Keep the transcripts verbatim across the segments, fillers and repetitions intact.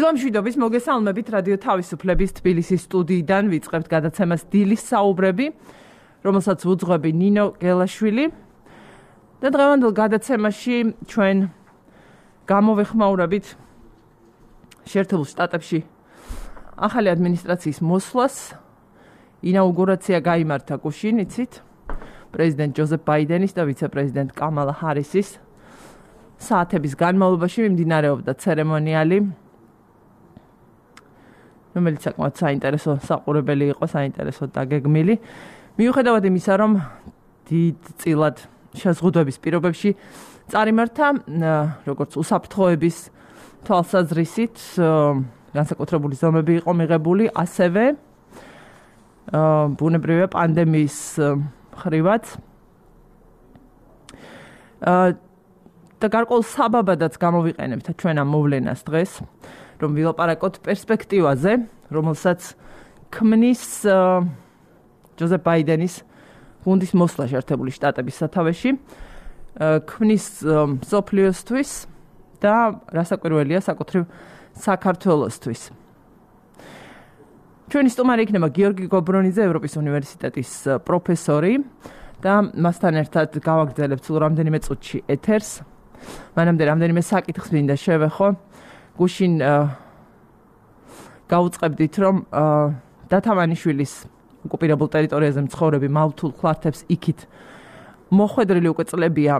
დილამშვიდობის მოგესალმებით რადიო თავისუფლების თბილისის სტუდიიდან ვიწყებთ გადაცემას დილის საუბრები, რომელსაც ვუძღვები ნინო გელაშვილი. და დღევანდელ გადაცემაში ჩვენ გამოვეხმაურებით შეერთებულ შტატებში ახალი ადმინისტრაციის მოსვლას. ინაუგურაცია გაიმართა გუშინ, იცით, პრეზიდენტ ჯოზეფ ბაიდენის და ვიცე-პრეზიდენტ კამალა ჰარისის საათების განმავლობაში მიმდინარეობდა ცერემონიალი, რომელიც საკმაოდ საინტერესო საყურებელი იყო, საინტერესო დაგეგმილი. მიუხედავად იმისა, რომ დიდწილად შეზღუდვების პირობებში წარიმართა, როგორც უსაფრთხოების თვალსაზრისით, განსაკუთრებული ზომები იყო მიღებული, ასევე ბუნებრივია პანდემიის ხრივაც. და გარკვეულ საბაბადაც გამოვიყენებთ ჩვენ ამ მოვლენას დღეს, რომ ვილაპარაკოთ პერსპექტივაზე, რომელსაც ქმნის ჯოზეფ ბაიდენის გუნდის მოსვლა შეერთებული შტატების სათავეში, ქმნის მსოფლიოსთვის და რასაკვირველია საკუთრივ საქართველოსთვის. ჩვენი სტუმარი იქნება გიორგი გობრონიძე, ევროპის უნივერსიტეტის პროფესორი და მასთან ერთად გავაგრძელებთ სულ რამდენიმე წუთში ეთერს. მანამდე რამდენიმე საკითხს მინდა შევეხო. გუშინ გაუწყებდით, რომ დათამანიშვილის ოკუპირებულ ტერიტორიაზე მცხოვრები მავთულ ხლართებს იქით მოხვედრილი უკვე წლებია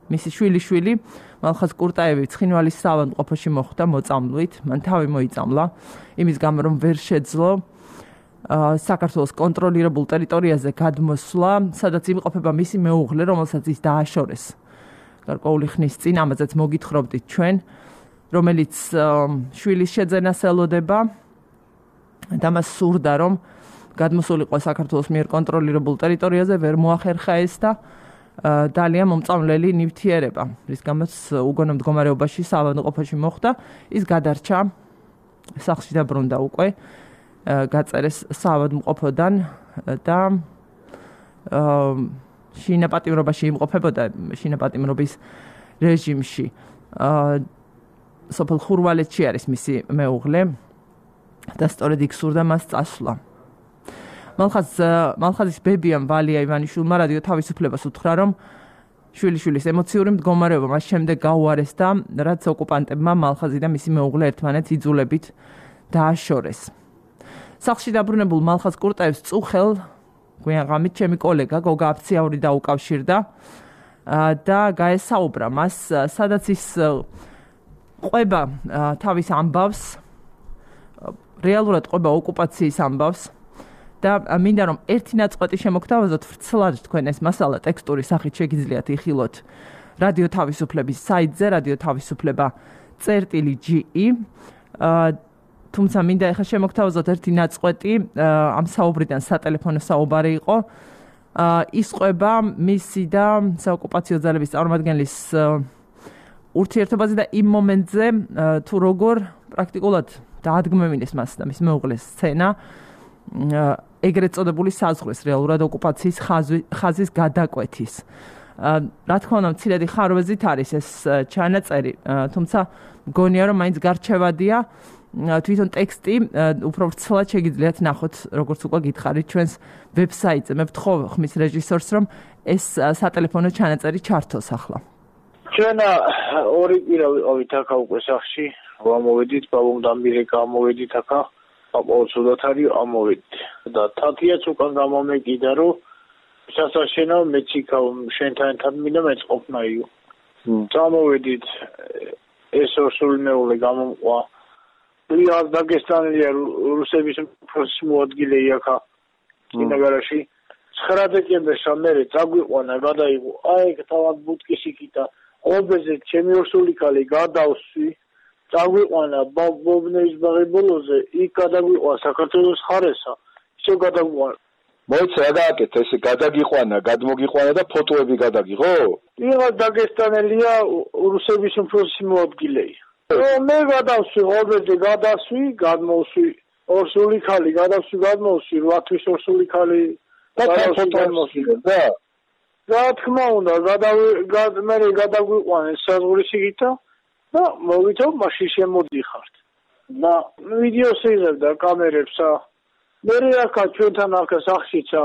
მისი შვილიშვილი მალხაზ კურტაევი ცხინვალის საავადმყოფოში მოხვდა მოწამლვით, მან თავი მოიწამლა იმის გამო, რომ ვერ შეძლო საქართველოს კონტროლირებულ ტერიტორიაზე გადმოსვლა, სადაც იმყოფება მისი მეუღლე, რომელსაც ის დააშორეს გარკვეული ხნის წინ, ამაზეც მოგითხრობდით ჩვენ, რომელიც შვილის შეძენას ელოდება და მას სურდა, რომ გადმოსულიყო საქართველოს მიერ კონტროლირებულ ტერიტორიაზე, ვერ მოახერხა ეს და დალია მომწამლელი ნივთიერება, რის გამოც უგონო მდგომარეობაში საავადმყოფოში მოხვდა, ის გადარჩა სახლში დაბრუნდა უკვე, გაწერეს საავადმყოფოდან და შინაპატიმრობაში იმყოფებოდა შინაპატიმრობის რეჟიმში. სოფელ ხურვალეთში არის მისი მეუღლე და სწორედ იქ სურდა მას წასვლა. მალხაზ მალხაზის ბებიამ ვალია ივანიშვილმა რადიო თავისუფლებას უთხრა, რომ შვილიშვილის ემოციური მდგომარეობა მას შემდეგ გაუარეს და რაც ოკუპანტებმა მალხაზი და მისი მეუღლე ერთმანეთს იძულებით დააშორეს. სახლში დაბრუნებულ მალხაზ კურტაევს წუხელ გვიან ღამით ჩემი კოლეგა გოგა აფციაური დაუკავშირდა და გაესაუბრა მას, სადაც ის ყვება თავის ამბავს, რეალურად ყვება ოკუპაციის ამბავს და მინდა რომ ერთი ნაწყვეტი შემოგთავაზოთ ვრცლად თქვენ ეს მასალა ტექსტური სახით შეგიძლიათ იხილოთ რადიო თავისუფლების საიტზე რადიო თავისუფლება წერტილი ჯი ი. თუმცა მინდა ახლა შემოგთავაზოთ ერთი ნაწყვეტი, ამ საუბრიდან სატელეფონო საუბარი იყო. ის ყვება მისი და საოკუპაციო ძალების წარმომადგენლის ურთიერთობაზე და იმ მომენტზე თუ როგორ პრაქტიკულად დაადგმევინეს მას და მის მეუღლეს სცენა ეგრეთ წოდებული საზღვრის რეალურად ოკუპაციის ხაზის გადაკვეთის. რა თქმა უნდა, მცირედი ხარვეზით არის ეს ჩანაწერი, თუმცა მგონია, რომ მაინც გარჩევადია თვითონ ტექსტი უფრო ვრცლად შეგიძლიათ ნახოთ, როგორც უკვე გითხარით ჩვენს ვებსაიტზე. მე ვთხოვ ხმის რეჟისორს, რომ ეს სატელეფონო ჩანაწერი ჩართოს ახლა. ჩვენ ორი კვირა ვიყავით აქ უკვე სახლში, ვამოვედით, ბაბუმდამბირე გამოვედით აქ, აპაოცოდათ არის ამოვედით. და თათიაც უკან გამომეკიდა, რომ სასაშენო მეც იქავ შენთან ერთად მინდა მეც ყოფნაიო. წამოვედით, ეს ორსული მეუღლე გამომყვა. ლია დაგესტანელია რუსების პროცესის მოადგილე იქა კინოგარაში. ცხრა დეკემბერში მერე წაგვიყვანა, გადაიღო. აი, თავად ბუტკის იქითა. ობეზე ჩემი ორსული ქალი გადავსვი. წაგვიყვანა ბობნეის ბაღი ბოლოზე, იქ გადაგვიყვა საქართველოს ხარესა. ისე გადაგვიყვანა. მოიცა რა გააკეთე, ესე გადაგიყვანა, გადმოგიყვანა და ფოტოები გადაგიღო? ლია დაგესტანელია რუსების პროცესის მოადგილე. მე გადავსვი, ობეზე გადავსვი, გადმოვსვი. ორსული ქალი გადავსვი, გადმოვსვი, რვათვის ორსული ქალი და გადმოვსვი და რა თქმა უნდა, გადავი მე გადაგვიყვანეს საზღვრის იქითა და მოვითო მაშინ შემოდიხართ და ვიდეოს იღებდა კამერებსა მე რაკა ჩვენთან ახლა სახშიცა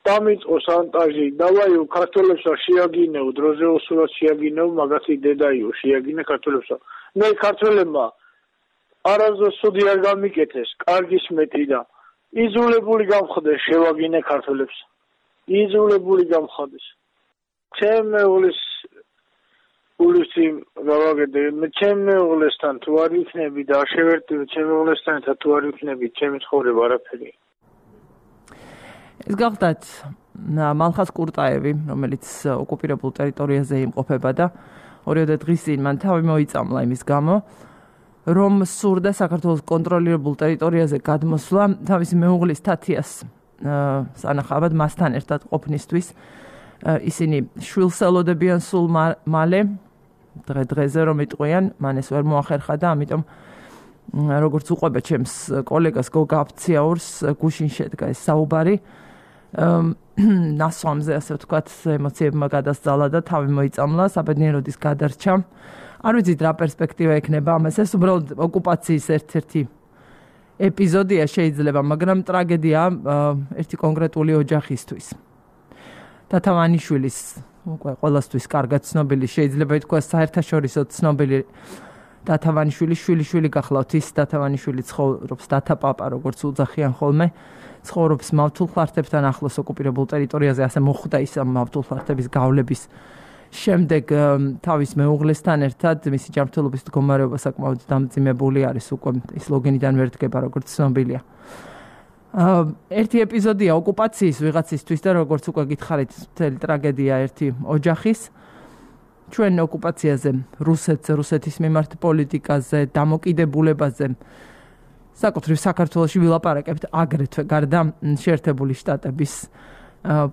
დამიწყო სანტაჟი დავაიო ქართველებსა შეაგინეო დროზე უსურვად შეაგინეო მაგათი დედაიო შეაგინე ქართველებსა მე ქართველებმა არასდროს სუდი არ გამიკეთეს კარგის მეტი და იზოლებული გამხდეს შევაგინე ქართველებს იზოლებული გამხდეს ჩემ მეუღლის ულისი გავაგედე მე ჩემ მეუღლესთან თუ არ იქნები და შევერტივი ჩემ მეუღლესთან თუ არ იქნები ჩემი ცხოვრება არაფერი ეს გახდათ მალხაზ კურტაევი რომელიც ოკუპირებულ ტერიტორიაზე იმყოფება და ორიოდე დღის წინ მან თავი მოიწამლა იმის გამო რომ სურდა საქართველოს კონტროლირებულ ტერიტორიაზე გადმოსვლა თავისი მეუღლის თათიას სანახავად მასთან ერთად ყოფნისთვის ისინი შვილს ელოდებიან სულ მალე დღე დღეზე რომ იტყვიან მან ეს ვერ მოახერხა და ამიტომ როგორც უყვება ჩემს კოლეგას გოგა აფციაურს გუშინ შედგა ეს საუბარი ნასვამზე ასე ვთქვათ ემოციებმა გადასძალა და თავი მოიწამლა საბედნიეროდის გადარჩა არ ვიცით რა პერსპექტივა ექნება ამას ეს უბრალოდ ოკუპაციის ერთ-ერთი ეპიზოდია შეიძლება მაგრამ ტრაგედია ერთი კონკრეტული ოჯახისთვის დათავანიშვილის უკვე ყველასთვის კარგად ცნობილი შეიძლება ითქვას საერთაშორისო ცნობილი დათავანიშვილი შვილი შვილი გახლავთ ის დათავანიშვილი ცხოვრობს დათაპაპა როგორც უძახიან ხოლმე ცხოვრობს მავთულ ხლართებთან ახლოს ოკუპირებულ ტერიტორიაზე ასე მოხვდა ის ამ მავთულ ხლართების გავლების შემდეგ თავის მეუღლესთან ერთად მისი ჯანმრთელობის მდგომარეობა საკმაოდ დამძიმებული არის უკვე ის ლოგინიდან ვერ დგება როგორც ცნობილია ერთი ეპიზოდია ოკუპაციის ვიღაცისთვის და როგორც უკვე გითხარით მთელი ტრაგედია ერთი ოჯახის ჩვენ ოკუპაციაზე რუსეთზე რუსეთის მიმართ პოლიტიკაზე დამოკიდებულებაზე საკუთრივ საქართველოში ვილაპარაკებთ აგრეთვე გარდა შეერთებული შტატების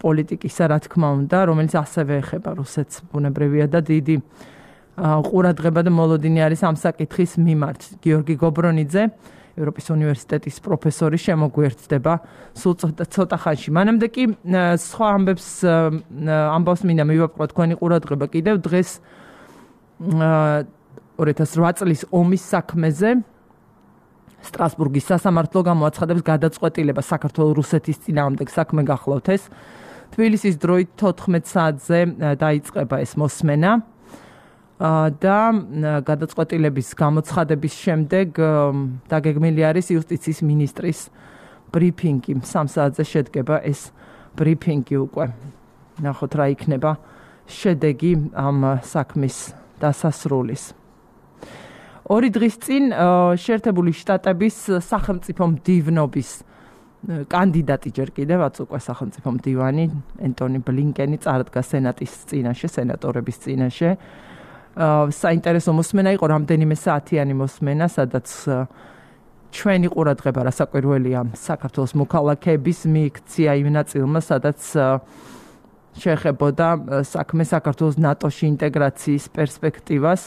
პოლიტიკისა რა თქმა უნდა რომელიც ასევე ეხება რუსეთს ბუნებრივია და დიდი ყურადღება და მოლოდინი არის ამ საკითხის მიმართ გიორგი გობრონიძე ევროპის უნივერსიტეტის პროფესორი შემოგვიერთდება სულ ცოტა ხანში. მანამდე კი სხვა ამბებს ამბავს მინდა მივაპყრო თქვენი ყურადღება კიდევ დღეს ორი ათას რვა წლის ომის საქმეზე სტრასბურგის სასამართლო გამოაცხადებს გადაწყვეტილება საქართველოს რუსეთის წინააღმდეგ საქმე გახლავთ ეს. თბილისის დროით თოთხმეტ საათზე დაიწყება ეს მოსმენა. და გადაწყვეტილების გამოცხადების შემდეგ დაგეგმილი არის იუსტიციის მინისტრის ბრიფინგი. სამ საათზე შედგება ეს ბრიფინგი უკვე. ნახოთ რა იქნება შედეგი ამ საქმის დასასრულის. ორი დღის წინ შეერთებული შტატების სახელმწიფო მდივნობის კანდიდატი ჯერ კიდევაც უკვე სახელმწიფო მდივანი ენტონი ბლინკენი წარდგა სენატის წინაშე, სენატორების წინაშე. საინტერესო მოსმენა იყო რამდენიმე საათიანი მოსმენა, სადაც ჩვენი ყურადღება რასაკვირველია საქართველოს მოქალაქეების მიიქცია იმ ნაწილმა, სადაც შეეხებოდა საქმე საქართველოს ნატოში ინტეგრაციის პერსპექტივას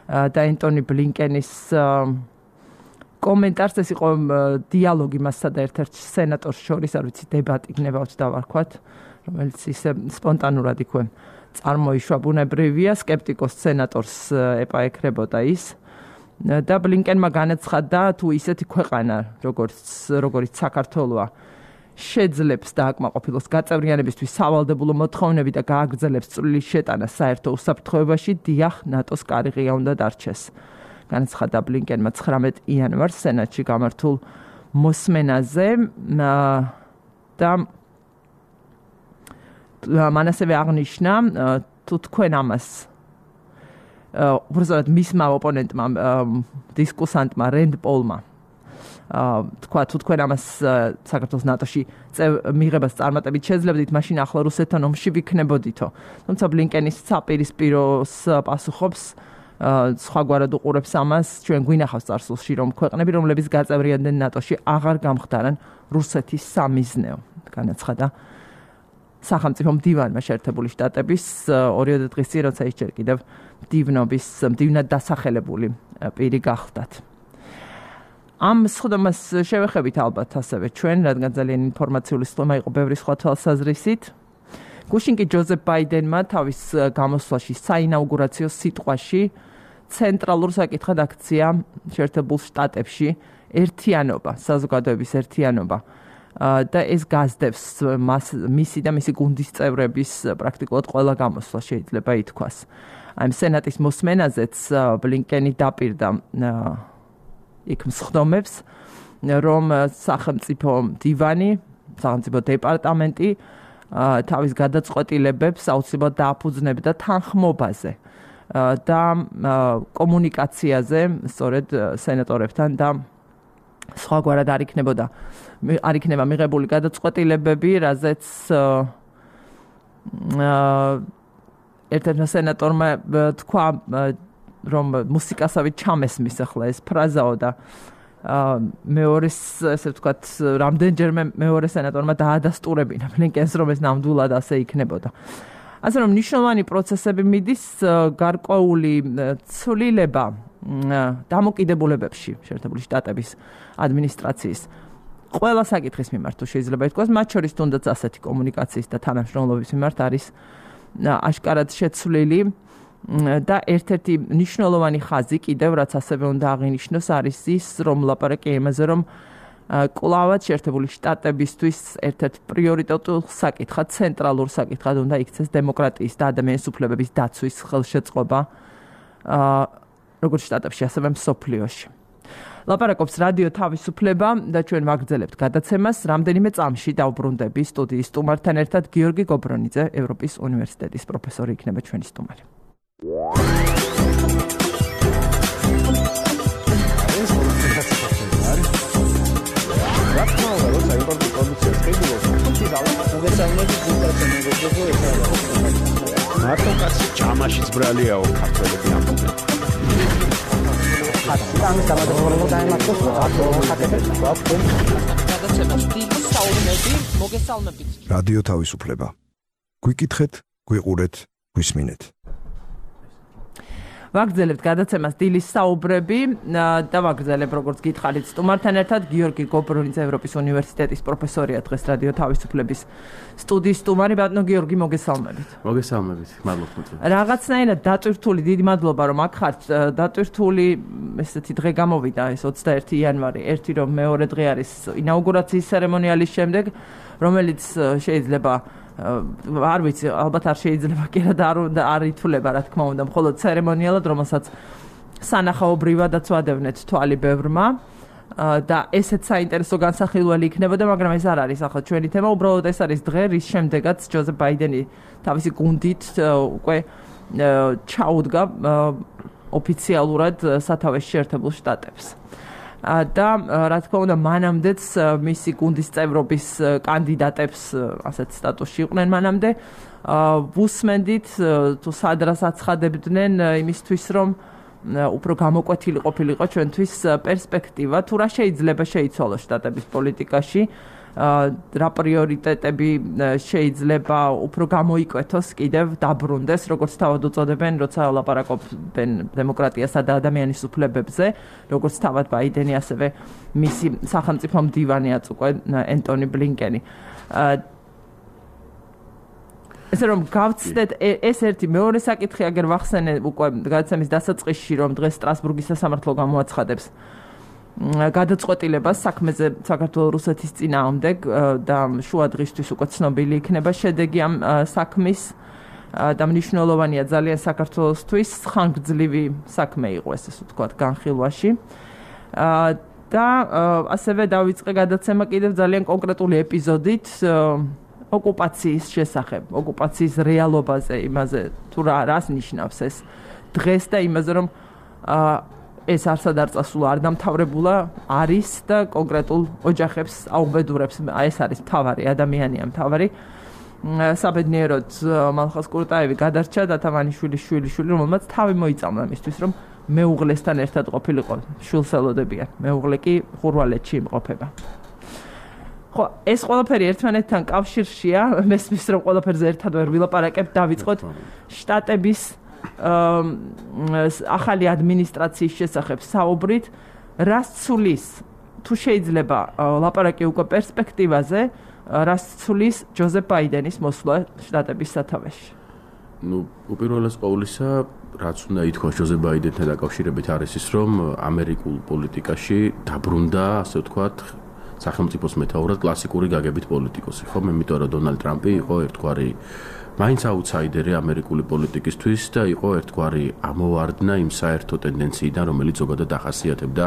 და ენტონი ბლინკენის კომენტარს ეს იყო დიალოგი მასსა და ერთ-ერთ სენატორს შორის, არ ვიცი დებატი იქნება თუ დავარქვათ, რომელიც ისე სპონტანურად იქვე წარმოიშვა ბუნებრივია სკეპტიკოს სენატორს ეპაექრებოდა ის და ბლინკენმა განაცხადა თუ ისეთი ქვეყანა როგორც როგორც საქართველოა შეძლებს დააკმაყოფილოს გაწევრიანებისთვის სავალდებულო მოთხოვნები და გააგრძელებს წვრილი შეტანა საერთო უსაფრთხოებაში დიახ ნატოს კარიღია უნდა დარჩეს განაცხადა ბლინკენმა ცხრამეტ იანვარს სენატში გამართულ მოსმენაზე და მან ასევე აღნიშნა თუ თქვენ ამას უბრალოდ მისმა ოპონენტმა დისკუსანტმა რენდ პოლმა თქვა თუ თქვენ ამას საქართველოს ნატოში მიღებას წარმატებით შეძლებდით მაშინ ახლა რუსეთთან ომში ვიქნებოდითო თუმცა ბლინკენის საპირისპიროს პასუხობს სხვაგვარად უყურებს ამას ჩვენ გვინახავს წარსულში რომ ქვეყნები რომლებიც გაწევრიანდნენ ნატოში აღარ გამხდარან რუსეთის სამიზნეო განაცხადა სახელმწიფო მდივანმა შეერთებული შტატების ორიოდე დღის წინ როცა ის ჯერ კიდევ მდივნობის მდივნად დასახელებული პირი გახლდათ. ამ სხდომას შევეხებით ალბათ ასევე ჩვენ, რადგან ძალიან ინფორმაციული სხდომა იყო ბევრი სხვა თვალსაზრისით. გუშინ კი ჯოზეფ ბაიდენმა თავის გამოსვლაში საინაუგურაციო სიტყვაში ცენტრალურ საკითხად აქცია შეერთებულ შტატებში ერთიანობა, საზოგადოების ერთიანობა. და ეს გაზდებს მისი და მისი გუნდის წევრების პრაქტიკულად ყველა გამოსვლა შეიძლება ითქვას. აი სენატის მოსმენაზეც ბლინკენი დაპირდა იქ მსხდომებს, რომ სახელმწიფო დივანი, სახელმწიფო დეპარტამენტი თავის გადაწყვეტილებებს აუცილებლად დააფუძნებდა თანხმობაზე და კომუნიკაციაზე, სწორედ სენატორებთან და სხვაგვარად არ იქნებოდა არ იქნება მიღებული გადაწყვეტილებები, რაზეც ერთ-ერთმა სენატორმა თქვა, რომ მუსიკასავით ჩამესმის ახლა ეს ფრაზაო და მეორეს, ესე ვთქვათ, რამდენჯერმე მეორე სენატორმა დაადასტურებინა ბლინკენს, რომ ეს ნამდვილად ასე იქნებოდა. ასე რომ ნიშნულოვანი პროცესები მიდის გარკვეული ცვლილება დამოკიდებულებებში შეერთებული შტატების ადმინისტრაციის ყველა საკითხის მიმართ თუ შეიძლება ითქვას, მათ შორის თუნდაც ასეთი კომუნიკაციის და თანამშრომლობის მიმართ არის აშკარად შეცვლილი და ერთ-ერთი მნიშვნელოვანი ხაზი კიდევ რაც ასევე უნდა აღინიშნოს არის ის, რომ ლაპარაკი იმაზე, რომ კვლავად შეერთებული შტატებისთვის ერთ-ერთ პრიორიტეტულ საკითხად, ცენტრალურ საკითხად უნდა იქცეს დემოკრატიის და ადამიანის უფლებების დაცვის ხელშეწყობა როგორც შტატებში, ასევე მსოფლიოში. ლაპარაკობს რადიო თავისუფლება და ჩვენ ვაგრძელებთ გადაცემას. რამდენიმე წამში დავბრუნდები სტუდიის სტუმართან ერთად. გიორგი გობრონიძე, ევროპის უნივერსიტეტის პროფესორი იქნება ჩვენი სტუმარი. მარტო კაცი ჯამაშიც ბრალიაო ქართველები ამბობენ. ამის დამადროულობა დაემართოს რადიო თავისუფლება. გვიკითხეთ, გვიყურეთ, გვისმინეთ. ვაგრძელებთ გადაცემას დილის საუბრები და ვაგრძელებ როგორც გითხარით სტუმართან ერთად გიორგი გობრონიძე ევროპის უნივერსიტეტის პროფესორია დღეს რადიო თავისუფლების სტუდიის სტუმარი. ბატონო გიორგი, მოგესალმებით. მოგესალმებით, მადლობა. რაღაცნაირად დატვირთული, დიდი მადლობა რომ აქ ხართ. დატვირთული ესეთი დღე გამოვიდა ეს ოცდაერთი იანვარი, ერთი რომ მეორე დღე არის ინაუგურაციის ცერემონიალის შემდეგ, რომელიც შეიძლება არ ვიცი, ალბათ არ შეიძლება კი და არ ითვლება, რა თქმა უნდა, მხოლოდ ცერემონიალად, რომელსაც სანახაობრივადაც ვადევნეთ თვალი ბევრმა და ესეც საინტერესო განსახილველი იქნებოდა, მაგრამ ეს არ არის ახლა ჩვენი თემა, უბრალოდ ეს არის დღე, რის შემდეგაც ჯოზეფ ბაიდენი თავისი გუნდით უკვე ჩაუდგა ოფიციალურად სათავეში შეერთებულ შტატებს. და რა თქმა უნდა მანამდეც მისი გუნდის წევრობის კანდიდატებს ასეთ სტატუსში იყვნენ მანამდე ვუსმენდით თუ სადრას აცხადებდნენ იმისთვის რომ უფრო გამოკვეთილი ყოფილიყო ჩვენთვის პერსპექტივა თუ რა შეიძლება შეიცვალოს შტატების პოლიტიკაში რა პრიორიტეტები შეიძლება უფრო გამოიკვეთოს კიდევ დაბრუნდეს როგორც თავად უწოდებენ როცა ლაპარაკობენ დემოკრატიასა და ადამიანის უფლებებზე როგორც თავად ბაიდენი ასევე მისი სახელმწიფო მდივანიაც უკვე ენტონი ბლინკენი ესე რომ გავცდეთ ეს ერთი მეორე საკითხი აგერ ვახსენე უკვე გადაცემის დასაწყისში რომ დღეს სტრასბურგის სასამართლო გამოაცხადებს გადაწყვეტილებას საქმეზე საქართველოს რუსეთის წინააღმდეგ და შუა დღისთვის უკვე ცნობილი იქნება შედეგი ამ საქმის და მნიშვნელოვანია ძალიან საქართველოსთვის ხანგრძლივი საქმე იყო ეს ასე ვთქვათ განხილვაში და ასევე დავიწყე გადაცემა კიდევ ძალიან კონკრეტული ეპიზოდით ოკუპაციის შესახებ ოკუპაციის რეალობაზე იმაზე თუ რა რას ნიშნავს ეს დღეს და იმაზე რომ ეს არსად არ წასულა არ დამთავრებულა არის და კონკრეტულ ოჯახებს აუბედურებს ეს არის მთავარი ადამიანია მთავარი საბედნიეროდ მალხაზ კურტაევი გადარჩა და თამანიშვილის შვილიშვილი რომელმაც თავი მოიწამლა მისთვის რომ მეუღლესთან ერთად ყოფილიყო შვილს ელოდებიან მეუღლე კი ხურვალეთში იმყოფება ხო ეს ყველაფერი ერთმანეთთან კავშირშია მესმის რომ ყველაფერზე ერთად ვერ ვილაპარაკებ დავიწყოთ შტატების ახალი ადმინისტრაციის შესახებ საუბრით რას ცulis თუ შეიძლება ლაპარაკი უკვე პერსპექტივაზე რას ცulis ჯოზეფ ბაიდენის მოსვლა შტატების სათავეში ну უპირველეს ყოვლისა რაც უნდა ითქვას ჯოზე ბაიდენთან დაკავშირებით არის ის, რომ ამერიკულ პოლიტიკაში დაბრუნდა, ასე ვთქვათ, სახელმწიფოს მეთაურად კლასიკური გაგებით პოლიტიკოსი, ხო? იმიტომ რომ დონალდ ტრამპი იყო ერთგვარი მაინც აუთსაიდერი ამერიკული პოლიტიკისთვის და იყო ერთგვარი ამოვარდნა იმ საერთო ტენდენციიდან, რომელიც ზოგადად ახასიათებდა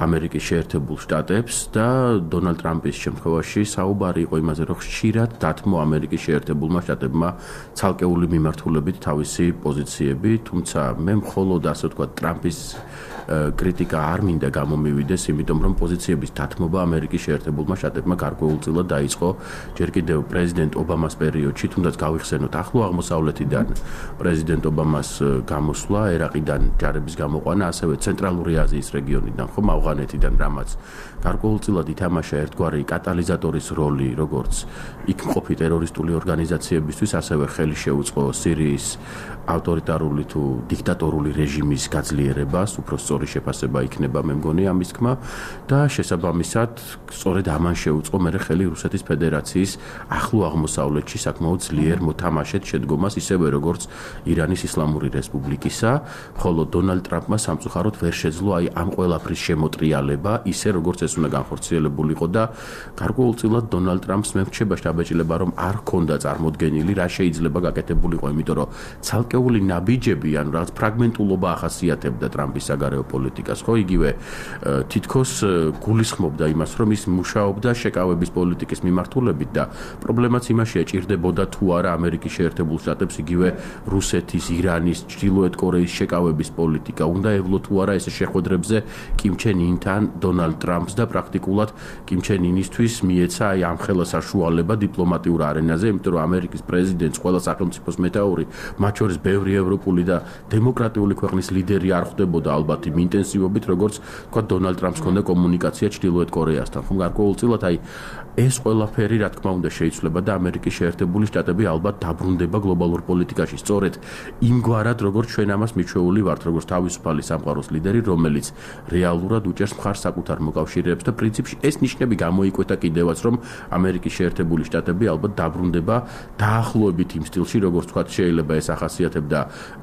ამერიკის შეერთებულ შტატებს და დონალდ ტრამპის შემთხვევაში საუბარი იყო იმაზე, რომ ხშირად დათმო ამერიკის შეერთებულმა შტატებმა ცალკეული მიმართულებით თავისი პოზიციები, თუმცა მე მხოლოდ ასე ვთქვათ ტრამპის კრიტიკა არ მინდა გამომივიდეს, იმიტომ რომ პოზიციების დათმობა ამერიკის შეერთებულმა შტატებმა გარკვეულწილად დაიწყო ჯერ კიდევ პრეზიდენტ ობამას პერიოდში, თუნდაც გავიხსენოთ ახლო აღმოსავლეთიდან პრეზიდენტ ობამას გამოსვლა, ერაყიდან ჯარების გამოყვანა, ასევე ცენტრალური აზიის რეგიონიდან, ხომ ავღანეთიდან, რამაც გარკვეულწილად ითამაშა ერთგვარი კატალიზატორის როლი, როგორც იქ მყოფი ტერორისტული ორგანიზაციებისთვის, ასევე ხელი შეუწყო სირიის ავტორიტარული თუ დიქტატორული რეჟიმის გაძლიერებას, უფრო სწორი შეფასება იქნება მე მგონი ამის თქმა და შესაბამისად სწორედ ამან შეუწყო მერე ხელი რუსეთის ფედერაციის ახლო აღმოსავლეთში საკმაოდ ძლიერ მოთამაშეთ შედგომას, ისევე როგორც ირანის ისლამური რესპუბლიკისა, ხოლო დონალდ ტრამპმა სამწუხაროდ ვერ შეძლო აი ამ ყველაფრის შემოტრიალება, ისე როგორც ეს უნდა განხორციელებულიყო და გარკვეულწილად დონალდ ტრამპს მე რჩება შთაბეჭდილება, რომ არ ჰქონდა წარმოდგენილი რა შეიძლება გაკეთებულიყო, იმიტომ რომ ცალკეული ნაბიჯები, ანუ რაღაც ფრაგმენტულობა ახასიათებდა ტრამპის საგარეო პოლიტიკას, ხო, იგივე თითქოს გულისხმობდა იმას, რომ ის მუშაობდა შეკავების პოლიტიკის მიმართულებით და პრობლემაც იმაშია, ჭირდებოდა თუ არა ამერიკის შეერთებულ შტატებს იგივე რუსეთის, ირანის, ჩრდილოეთ კორეის შეკავების პოლიტიკა, უნდა ევლო თუ არა ეს შეხვედრებზე კიმ ჩენ ინთან დონალდ ტრამპს და პრაქტიკულად კიმ ჩენ ინისთვის მიეცა აი ამ ხელა საშუალება დიპლომატიურ არენაზე, იმიტომ რომ ამერიკის პრეზიდენტს ყველა სახელმწიფოს მეთაური, მათ შორის ბევრი ევროპული და დემოკრატიული ქვეყნის ლიდერი არ ხვდებოდა ალბათ იმ ინტენსივობით, როგორც თქვა დონალდ ტრამპს ჰქონდა კომუნიკაცია ჩრდილოეთ კორეასთან. ხომ გარკვეულწილად აი ეს ყველაფერი რა თქმა უნდა შეიცვლება და ამერიკის შეერთებული შტატები ალბათ დაბრუნდება გლობალურ პოლიტიკაში სწორედ იმგვარად, როგორც ჩვენ ამას მიჩვეული ვართ, როგორც თავისუფალი სამყაროს ლიდერი, რომელიც რეალურად უჭერს მხარს საკუთარ მოკავშირეებს და პრინციპში ეს ნიშნები გამოიკვეთა კიდევაც, რომ ამერიკის შეერთებული შტატები ალბათ დაბრუნდება დაახლოებით იმ სტილში, როგორც თქვა შეიძლება ეს ახასიათებდა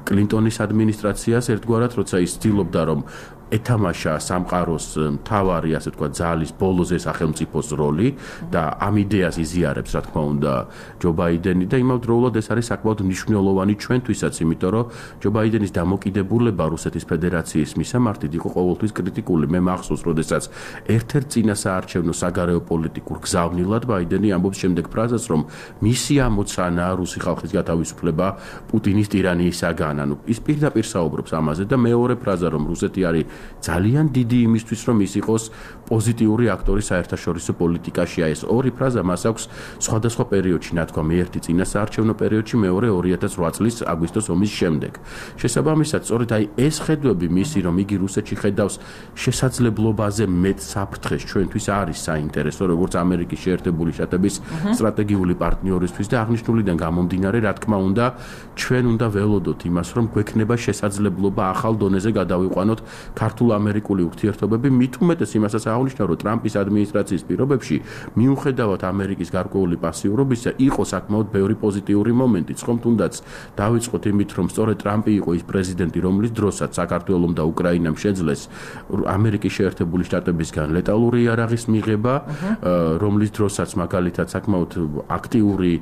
კლინტონის ადმინისტრაციას ერთგვარად, როცა ის ცდილობდა, რომ ეთამაშა სამყაროს მთავარი, ასე თქვა, ძალის ბოლოზე სახელმწიფოს როლი და ამ იდეას იზიარებს, რა თქმა უნდა, ჯო ბაიდენი და იმავდროულად ეს არის საკმაოდ მნიშვნელოვანი ჩვენთვისაც, იმიტომ რომ ჯო ბაიდენის დამოკიდებულება რუსეთის ფედერაციის მისამართით იყო ყოველთვის კრიტიკული. მე მახსოვს, როდესაც ერთ-ერთ წინასაარჩევნო საგარეო პოლიტიკურ გზავნილად ბაიდენი ამბობს შემდეგ ფრაზას, რომ მისი ამოცანაა რუსი ხალხის გათავისუფლება პუტინის ტირანიისაგან. ანუ ის პირდაპირ საუბრობს ამაზე და მეორე ფრაზა, რომ რუსეთი არის ძალიან დიდი იმისთვის, რომ ის იყოს პოზიტიური აქტორი საერთაშორისო პოლიტიკაში. ეს ორი ფრაზა მას აქვს სხვადასხვა პერიოდში, ნათქვამი ერთი წინასაარჩევნო პერიოდში, მეორე ორი ათას ოთხ წლის აგვისტოს ომის შემდეგ. შესაბამისად, სწორედ აი ეს ხედვები მისი, რომ იგი რუსეთში ხედავს შესაძლებლობაზე მეტ საფრთხეს, ჩვენთვის არის საინტერესო, როგორც ამერიკის შეერთებული შტატების სტრატეგიული პარტნიორისთვის და აღნიშნულიდან გამომდინარე, რა თქმა უნდა, ჩვენ უნდა ველოდოთ იმას, რომ გვექნება შესაძლებლობა ახალ დონეზე გადავიყვანოთ ქართულ-ამერიკული ურთიერთობები, მით უმეტეს იმასაც აღნიშნავ, რომ ტრამპის ადმინისტრაციის პირობებში, მიუხედავად ამერიკის გარკვეული პასიურობისა, იყო საკმაოდ ბევრი პოზიტიური მომენტიც, ხომ თუნდაც დავიწყოთ იმით, რომ სწორედ ტრამპი იყო ის პრეზიდენტი, რომლის დროსაც საქართველომ და უკრაინამ შეძლეს ამერიკის შეერთებული შტატებისგან ლეტალური იარაღის მიღება, რომლის დროსაც მაგალითად საკმაოდ აქტიური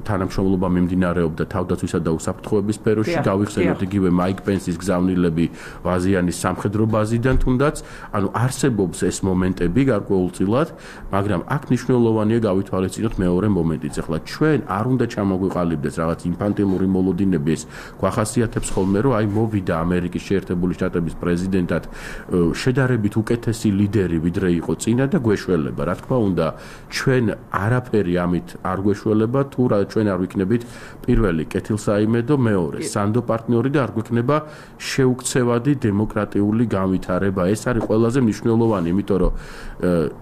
თანამშრომლობა მიმდინარეობდა თავდაცვისა და უსაფრთხოების სფეროში, გავიხსენოთ იგივე მაიკ პენსის გზავნილები ვაზიანის სამხედრო ბაზიდან თუნდაც, ანუ არსებობს ეს მომენტები გარკვეულწილად, მაგრამ აქ მნიშვნელოვანია გავითვალისწინოთ მეორე მომენტიც. ახლა ჩვენ არ უნდა ჩამოგვიყალიბდეს რაღაც ინფანტილური მოლოდინები, ეს გვახასიათებს ხოლმე, რომ აი მოვიდა ამერიკის შეერთებული შტატების პრეზიდენტად შედარებით უკეთესი ლიდერი, ვიდრე იყო წინა და გვეშველება. რა თქმა უნდა, ჩვენ არაფერი ამით არ გვეშველება, თუ რა ჩვენ არ ვიქნებით პირველი კეთილსაიმედო, მეორე სანდო პარტნიორი და არ გვექნება შეუქცევადი დემოკრატიული დემოკრატიული განვითარება. ეს არის ყველაზე მნიშვნელოვანი, იმიტომ რომ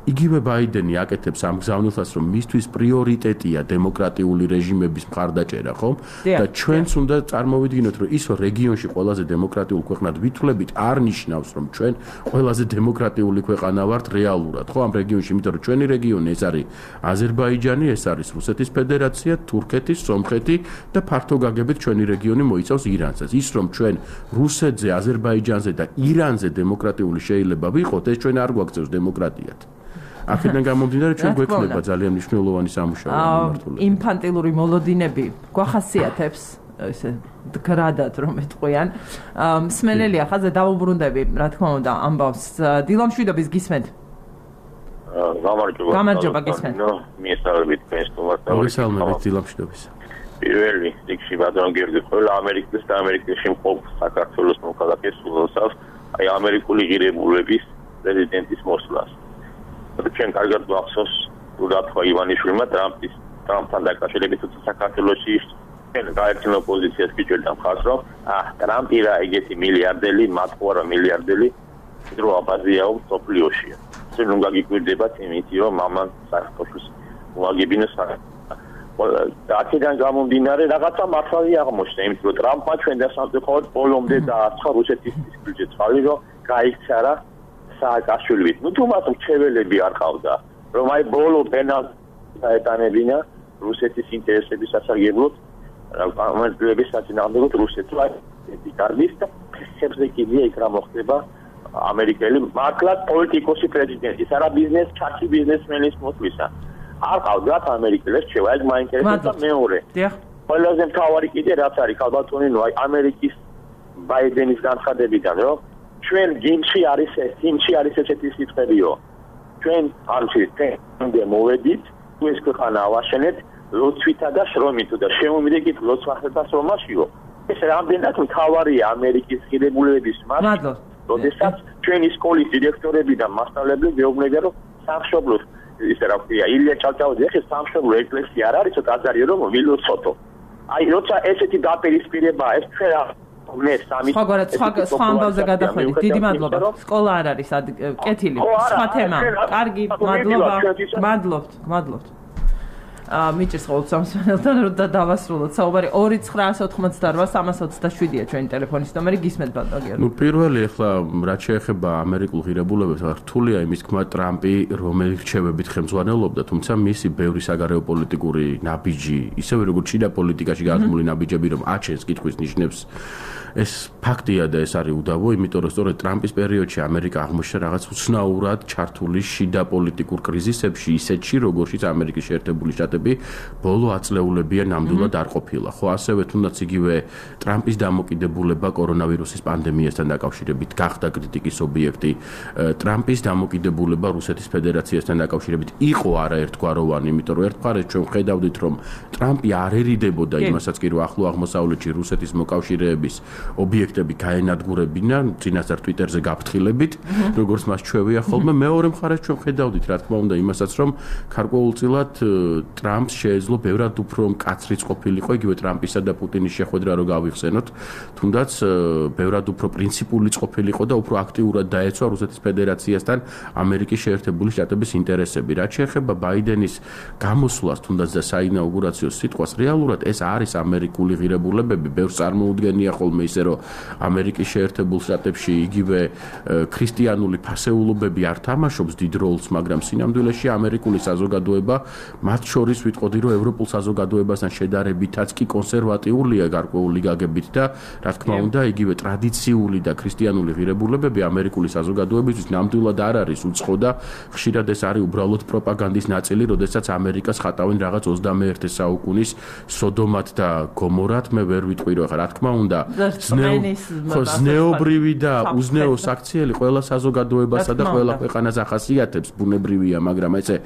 იგივე ბაიდენი აკეთებს ამ გზავნილს, რომ მისთვის პრიორიტეტია დემოკრატიული რეჟიმების მხარდაჭერა, ხო? და ჩვენც უნდა წარმოვიდგინოთ, რომ ის რეგიონში ყველაზე დემოკრატიულ ქვეყნად ვითვლებით, არ ნიშნავს, რომ ჩვენ ყველაზე დემოკრატიული ქვეყანა ვართ რეალურად, ხო? ამ რეგიონში, იმიტომ რომ ჩვენი რეგიონი ეს არის აზერბაიჯანი, ეს არის რუსეთის ფედერაცია, თურქეთი, სომხეთი და ფართო გაგებით ჩვენი რეგიონი მოიცავს ირანსაც. ის რომ ჩვენ რუსეთზე, აზერბაიჯანზე და ირანზე დემოკრატიული შეიძლება ვიყოთ, ეს ჩვენ არ გვაქცევს დემოკრატიად. აქედან გამომდინარე ჩვენ გვექნება ძალიან მნიშვნელოვანი სამუშაო მიმართულებით. ინფანტილური მოლოდინები გვახასიათებს ესე გრადად რომ ეთყვიან. მსმენელია ხაზზე დავუბრუნდები, რა თქმა უნდა, ამბავს დილამშვიდობის გისმენთ. გამარჯობა. გამარჯობა გისმენთ. მიესალმებით თქვენს თომასთან. მოგესალმებით დილამშვიდობის. პირველი რიგში ბატონ გიორგი ყველა ამერიკის და ამერიკაში მყოფ საქართველოს მოქალაქეს სულოცავს აი ამერიკული ღირებულების პრეზიდენტის მოსვლას. ჩვენ კარგად გვახსოვს რუდolph ივანიშვილმა ტრამპის ტრამპთან დაკავშირებით თუმცა საქართველოში ჩვენ გაერთიანო პოზიციას გიჭერდა მხარს რომ აა ტრამპი რა ეგეთი მილიარდელი მათყუარა მილიარდელი დრო აბაზიაო სოფლიოშია. ჩვენ უნდა გიკვირდებათ იმითი რომ მამან საქართველოს მოაგებინოს და აქედან გამომდინარე რაღაცა მართალი აღმოჩნდა, იმიტომ რომ ტრამპმა ჩვენ დასამწუხაროდ ბოლომდე დაასხა რუსეთის ფიზიკურზე წყალი, რომ გაიქცა რა სააკაშვილით. ნუ თუ მას მრჩეველები არ ყავდა, რომ აი ბოლო პენალს დაეტანებინა რუსეთის ინტერესების სასარგებლოდ, ამერიკელების საწინააღმდეგოდ რუსეთს აი კარგის და ფეხებზე კიდია იქ რა მოხდება ამერიკელი მართლაც პოლიტიკოსი პრეზიდენტის, არა ბიზნეს ჩათი ბიზნესმენის მოსვლისა. არ ყავდათ ამერიკელებს შევა ეს მაინტერესებდა მეორე. ყველაზე მთავარი კიდე რაც არის ქალბატონინო აი ამერიკის ბაიდენის განცხადებიდან რომ ჩვენ გიმში არის ეს გიმში არის ესეთი სიტყვებიო. ჩვენ არჩით თემდე მოვედით თუ ეს ქვეყანა ავაშენეთ ლოცვითა და შრომით და შემომიდეკით ლოცვახებას რომაშიო. ეს რამდენად მთავარია ამერიკის ღირებულებების მადლობა. როდესაც ჩვენი სკოლის დირექტორები და მასწავლებლები მეუბნებიან რომ სამშობლოს ისე რა ქვია ილია ჩალჩაუძე ხე სამშობლო ეკლესია არ არის აზარიო რომ ვილოცოტო. აი როცა ესეთი დაპირისპირება ეს ჩვენ მე სამი სხვაგვარად სხვა ამბავზე გადახვედით. დიდი მადლობა. სკოლა არ არის კეთილი. სხვა თემა. კარგი, მადლობა. მადლობთ, მადლობთ. აა მიჭირს ყოველ სამსმენელთან რომ დავასრულოთ საუბარი ორი ცხრა ოთხმოცდაოთხ სამას ოცდაშვიდია ჩვენი ტელეფონის ნომერი გისმენთ ბატონო გიორგი. ნუ პირველი ახლა რაც შეეხება ამერიკულ ღირებულებებს რთულია იმის თქმა ტრამპი რომელი რჩევებით ხელმძღვანელობდა თუმცა მისი ბევრი საგარეო პოლიტიკური ნაბიჯი ისევე როგორც შიდა პოლიტიკაში გაზმული ნაბიჯები რომ აჩენს კითხვის ნიშნებს ეს ფაქტია და ეს არის უდავო იმიტომ რომ სწორედ ტრამპის პერიოდში ამერიკა აღმოჩნდა რაღაც უცნაურად ჩართული შიდა პოლიტიკურ კრიზისებში ისეთში როგორშიც ამერიკის შეერთებული შტატები ბოლო აწლეულებია ნამდვილად არ ყოფილა ხო ასევე თუნდაც იგივე ტრამპის დამოკიდებულება კორონავირუსის პანდემიასთან დაკავშირებით გახდა კრიტიკის ობიექტი ტრამპის დამოკიდებულება რუსეთის ფედერაციასთან დაკავშირებით იყო არაერთგვაროვანი იმიტომ რომ ერთ მხარეს ჩვენ ხედავდით რომ ტრამპი არ ერიდებოდა იმასაც კი რომ ახლო აღმოსავლეთში რუსეთის მოკავშირეების ობიექტები გაენადგურებინა წინასწარ ტვიტერზე გაფრთხილებით როგორც მას ჩვევია ხოლმე მეორე მხარეს ჩვენ ხედავდით რა თქმა უნდა იმასაც რომ გარკვეულწილად ტრამპს შეეძლო ბევრად უფრო მკაცრიც ყოფილიყო იგივე ტრამპისა და პუტინის შეხვედრა რო გავიხსენოთ თუნდაც ბევრად უფრო პრინციპულიც ყოფილიყო და უფრო აქტიურად დაეცვა რუსეთის ფედერაციასთან ამერიკის შეერთებული შტატების ინტერესები რაც შეეხება ბაიდენის გამოსვლას თუნდაც და საინაუგურაციო სიტყვას რეალურად ეს არის ამერიკული ღირებულებები ბევრს წარმოუდგენია ხოლმე ისე რომ ამერიკის შეერთებულ შტატებში იგივე ქრისტიანული ფასეულობები არ თამაშობს დიდ როლს მაგრამ სინამდვილეში ამერიკული საზოგადოება მათ შორის ვიტყოდი რომ ევროპულ საზოგადოებასთან შედარებითაც კი კონსერვატიულია გარკვეული გაგებით და რა თქმა უნდა იგივე ტრადიციული და ქრისტიანული ღირებულებები ამერიკული საზოგადოებისთვის ნამდვილად არ არის უცხო და ხშირად ეს არის უბრალოდ პროპაგანდის ნაწილი როდესაც ამერიკას ხატავენ რაღაც ოცდამეერთე საუკუნის სოდომად და გომორად მე ვერ ვიტყვი რომ რა თქმა უნდა ზნეობრივი და უზნეო საქციელი ყველა საზოგადოებასა და ყველა ქვეყანას ახასიათებს ბუნებრივია მაგრამ ესე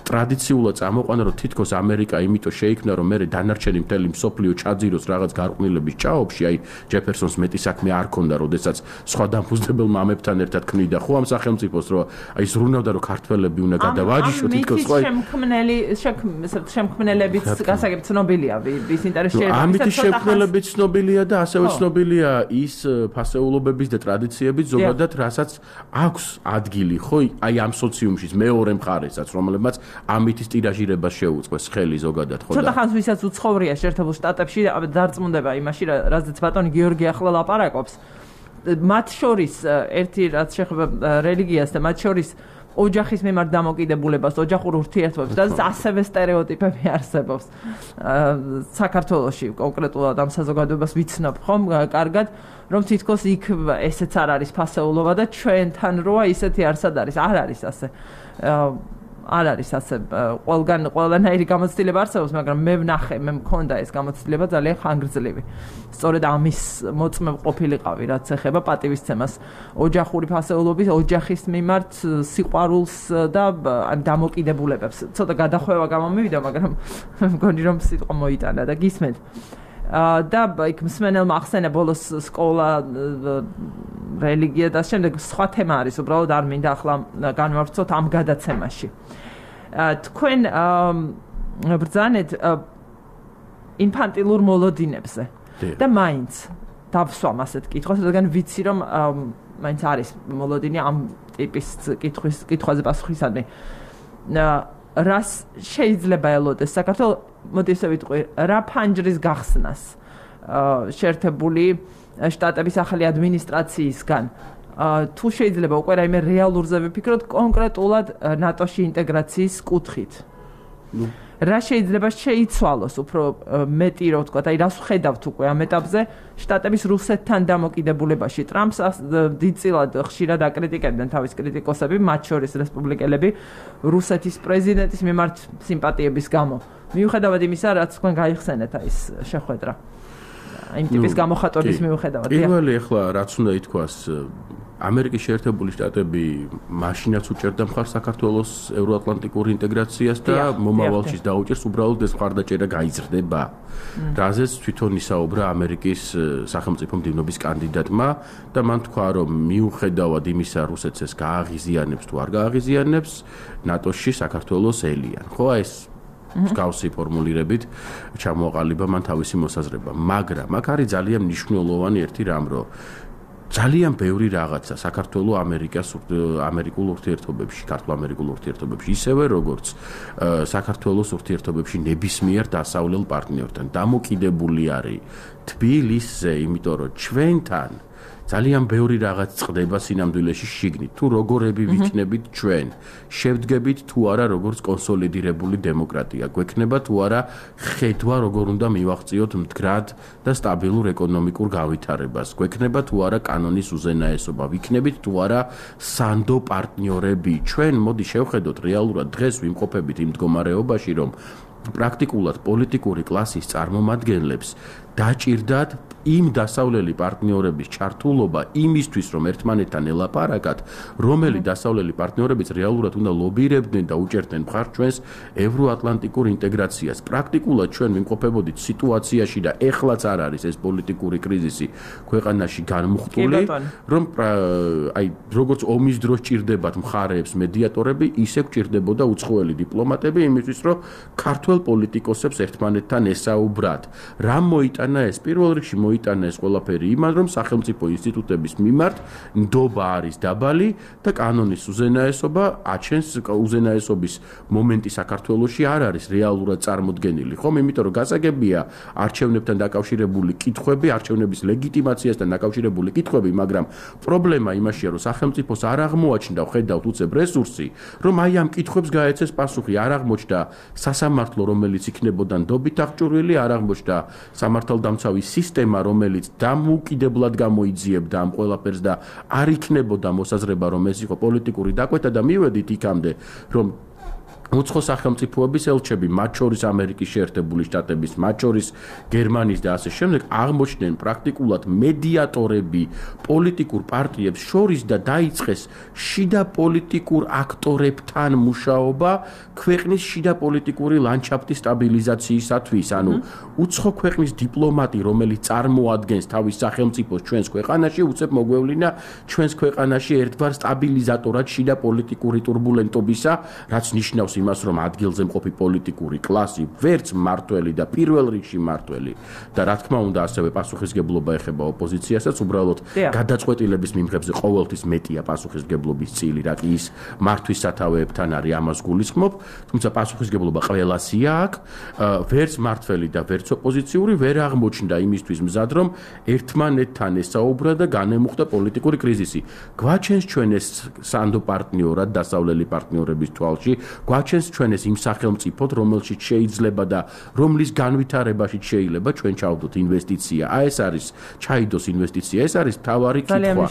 ტრადიციულად წამოყვანა რომ თითქოს ამერიკა იმიტომ შეიქმნა რომ მე დანარჩენი მთელი მსოფლიო ჩაძიროს რაღაც გარყვნილების ჭაობში აი ჯეფერსონს მეტი საქმე არ ქონდა როდესაც სხვა დამფუძნებელ მამებთან ერთად ქმნიდა ხო ამ სახელმწიფოს რომ აი ზრუნავდა რომ ქართველები უნდა გადავაჯიშო თითქოს ხო შემქმნელი შემქმნელებიც გასაგებ ცნობილია ვის ინტერესში ამით შემქმნელები ცნობილია და ასევე ცნობილი შეუძლებელია ის ფასეულობების და ტრადიციების ზოგადად რასაც აქვს ადგილი ხო აი ამ სოციუმში მეორე მხარესაც რომლებმაც ამითის ტირაჟირებას შეუწყეს ხელი ზოგადად ხო და ცოტა ხანს ვისაც უცხოვრია შეერთებულ შტატებში დარწმუნდება იმაში რაზეც ბატონი გიორგი ახლა ლაპარაკობს მათ შორის ერთი რაც შეეხება რელიგიას და მათ შორის ოჯახის მიმართ დამოკიდებულებას, ოჯახურ ურთიერთობებს, და ასევე სტერეოტიპები არსებობს. საქართველოში კონკრეტულად ამ საზოგადოებას ვიცნობ ხომ, კარგად, რომ თითქოს იქ ესეც არ არის ფასეულობა და ჩვენთან როა ისეთი არსად არის, არ არის ასე. არ არის ასე ყველგან ყველანაირი გამოცდილება არსებობს, მაგრამ მე ვნახე, მე მქონდა ეს გამოცდილება ძალიან ხანგრძლივი. სწორედ ამის მოწმე ყოფილიყავი, რაც ეხება პატივისცემას, ოჯახური ფასეულობის, ოჯახის მიმართ სიყვარულს და ამ დამოკიდებულებებს. ცოტა გადახვევა გამომივიდა, მაგრამ მგონი რომ სიტყვა მოიტანა და გისმენთ. და იქ მსმენელმა ახსენა ბოლოს სკოლა, რელიგია და შემდეგ სხვა თემა არის, უბრალოდ არ მინდა ახლა განვავრცოთ ამ გადაცემაში. თქვენ ბრძანეთ ინფანტილურ მოლოდინებზე და მაინც დავსვამ ასეთ კითხვას, რადგან ვიცი რომ მაინც არის მოლოდინი ამ ტიპის კითხვის კითხვაზე პასუხისადმი. რას შეიძლება ელოდეს საქართველოს მოდი ესე ვიტყვი, რა ფანჯრის გახსნას შეერთებული შტატების ახალი ადმინისტრაციისგან თუ შეიძლება უკვე რაიმე რეალურზე ვიფიქროთ კონკრეტულად ნატოში ინტეგრაციის კუთხით. რა შეიძლება შეიცვალოს უფრო მეტი რო ვთქვა, აი რას ვხედავთ უკვე ამ ეტაპზე შტატების რუსეთთან დამოკიდებულებაში. ტრამპს დიდწილად ხშირად აკრიტიკებდნენ თავის კრიტიკოსები, მათ შორის რესპუბლიკელები, რუსეთის პრეზიდენტის მიმართ სიმპათიების გამო. მიუხედავად იმისა, რაც თქვენ გაიხსენეთ აი ეს შეხვედრა. იმ ტიპის გამოხატვის მიუხედავად. პირველი ახლა რაც უნდა ითქვას, ამერიკის შეერთებული შტატები მაშინაც უჭერდა მხარს საქართველოს ევროატლანტიკურ ინტეგრაციას და მომავალში დაუჭერს, უბრალოდ ეს მხარდაჭერა გაიზრდება. რაზეც თვითონ ისაუბრა ამერიკის სახელმწიფო მდივნობის კანდიდატმა და მან თქვა, რომ მიუხედავად იმისა, რუსეთს ეს გააღიზიანებს თუ არ გააღიზიანებს, ნატოში საქართველოს ელიან. ხო, ეს მსგავსი ფორმულირებით ჩამოაყალიბა მან თავისი მოსაზრება, მაგრამ აქ არის ძალიან მნიშვნელოვანი ერთი რამ, რომ ძალიან ბევრი რაღაცა საქართველოს ამერიკას ამერიკულ ურთიერთობებში, ქართულ-ამერიკულ ურთიერთობებში, ისევე როგორც საქართველოს ურთიერთობებში ნებისმიერ დასავლელ პარტნიორთან დამოკიდებული არის თბილისზე, იმიტომ რომ ჩვენთან ძალიან ბევრი რაღაც წდება სინამდვილეში შიგნით. თუ როგორები ვიქნებით ჩვენ, შევდგებით თუ არა როგორც კონსოლიდირებული დემოკრატია, გვექნება თუ არა ხედვა როგორ უნდა მივაღწიოთ მდგრად და სტაბილურ ეკონომიკურ გავითარებას, გვექნება თუ არა კანონის უზენაესობა, ვიქნებით თუ არა სანდო პარტნიორები. ჩვენ მოდი შევხედოთ რეალურად დღეს ვიმყოფებით იმ მდგომარეობაში, რომ პრაქტიკულად პოლიტიკური კლასის წარმომადგენლებს დაჭირდათ იმ დასავლელი პარტნიორების ჩართულობა იმისთვის, რომ ერთმანეთთან ელაპარაკათ, რომელი დასავლელი პარტნიორებიც რეალურად უნდა ლობირებდნენ და უჭერდნენ მხარს ჩვენს ევროატლანტიკურ ინტეგრაციას. პრაქტიკულად ჩვენ ვიმყოფებოდით სიტუაციაში და ეხლაც არ არის ეს პოლიტიკური კრიზისი ქვეყანაში განმუხტული, რომ აი როგორც ომის დროს ჭირდებათ მხარეებს მედიატორები, ისე გჭირდებოდა უცხოელი დიპლომატები იმისთვის, რომ ქართველ პოლიტიკოსებს ერთმანეთთან ესაუბრათ. რა მოიტანა ეს? პირველ რიგში მოიტანა ეს ყველაფერი იმან, რომ სახელმწიფო ინსტიტუტების მიმართ ნდობა არის დაბალი და კანონის უზენაესობა აჩენს უზენაესობის მომენტი საქართველოში არ არის რეალურად წარმოდგენილი, ხომ? იმიტომ რომ გასაგებია არჩევნებთან დაკავშირებული კითხვები, არჩევნების ლეგიტიმაციასთან დაკავშირებული კითხვები, მაგრამ პრობლემა იმაშია, რომ სახელმწიფოს არ აღმოაჩნდა, ხედავთ უცებ რესურსი, რომ აი ამ კითხვებს გაეცეს პასუხი, არ აღმოჩნდა სასამართლო, რომელიც იქნებოდა ნდობით აღჭურვილი, არ აღმოჩნდა სამართალდამცავი სისტემა, რომელიც დამოუკიდებლად გამოიძიებდა ამ ყველაფერს და არ იქნებოდა მოსაზრება, რომ ეს იყო პოლიტიკური დაკვეთა და მივედით იქამდე, რომ უცხო სახელმწიფოების ელჩები, მათ შორის ამერიკის შეერთებული შტატების, მათ შორის გერმანიის და ასე შემდეგ, აღმოჩნდნენ პრაქტიკულად მედიატორები პოლიტიკურ პარტიებს შორის და დაიწყეს შიდა პოლიტიკურ აქტორებთან მუშაობა ქვეყნის შიდა პოლიტიკური ლანდშაფტის სტაბილიზაციისათვის. ანუ უცხო ქვეყნის დიპლომატი, რომელიც წარმოადგენს თავის სახელმწიფოს ჩვენს ქვეყანაში, უცებ მოგვევლინა ჩვენს ქვეყანაში ერთგვარ სტაბილიზატორად შიდა პოლიტიკური ტურბულენტობისა, რაც ნიშნავს იმას, რომ ადგილზე მყოფი პოლიტიკური კლასი ვერც მმართველი და პირველ რიგში მმართველი და რა თქმა უნდა ასევე პასუხისგებლობა ეხება ოპოზიციასაც, უბრალოდ გადაწყვეტილების მიმღებზე ყოველთვის მეტია პასუხისგებლობის წილი, რაც ის მართვის სათავეებთან არის, ამას გულისხმობ, თუმცა პასუხისგებლობა ყველასია აქ, ვერც მმართველი და ვერც ოპოზიციური ვერ აღმოჩნდა იმისთვის მზად, რომ ერთმანეთთან ესაუბრა და განემუხტა პოლიტიკური კრიზისი. გვაჩენს ჩვენ ეს სანდო პარტნიორად დასავლელი პარტნიორების თვალში, გვაჩენს ჩვენ ეს იმ სახელმწიფოდ, რომელშიც შეიძლება და რომლის განვითარებაში შეიძლება ჩვენ ჩავდოთ ინვესტიცია. აი ეს არის ჩაიდოს ინვესტიცია, ეს არის მთავარი კითხვა.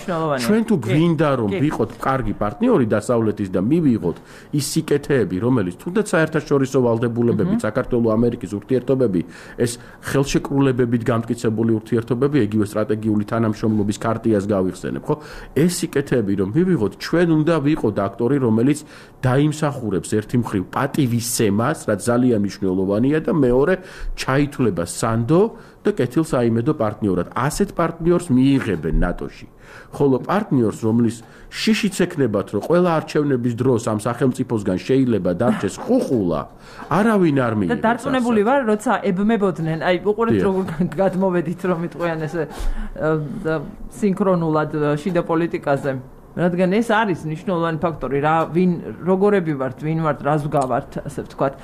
ჩვენ თუ გვინდა რომ ვიყოთ კარგი პარტნიორი დასავლეთის და მივიღოთ ის სიკეთეები, რომელიც თუნდაც საერთაშორისო ვალდებულებები, საქართველოს ამერიკის ურთიერთობები, ეს ხელშეკრულებებით გამტკიცებული ურთიერთობები, იგივე სტრატეგიული თანამშრომლობის ქარტიას გავიხსენებ, ხო? ეს სიკეთეები რომ მივიღოთ, ჩვენ უნდა ვიყოთ აქტორი, რომელიც დაიმსახურებს ერთი მხრივ პატივისცემას, რაც ძალიან მნიშვნელოვანია და მეორე ჩაითვლება სანდო და კეთილსაიმედო პარტნიორად. ასეთ პარტნიორს მიიღებენ ნატოში. ხოლო პარტნიორს, რომლის შიშიც ექნებათ, რომ ყველა არჩევნების დროს ამ სახელმწიფოსგან შეიძლება დარჩეს ხუხულა, არავინ არ მიიღებს. და დარწმუნებული ვარ, როცა ებმებოდნენ, აი უყურეთ როგორ გადმოვედით, რომ იტყვიან ესე სინქრონულად შიდა პოლიტიკაზე. რადგან ეს არის მნიშვნელოვანი ფაქტორი, რა ვინ როგორები ვართ, ვინ ვართ, რას ვგავართ, ასე ვთქვათ.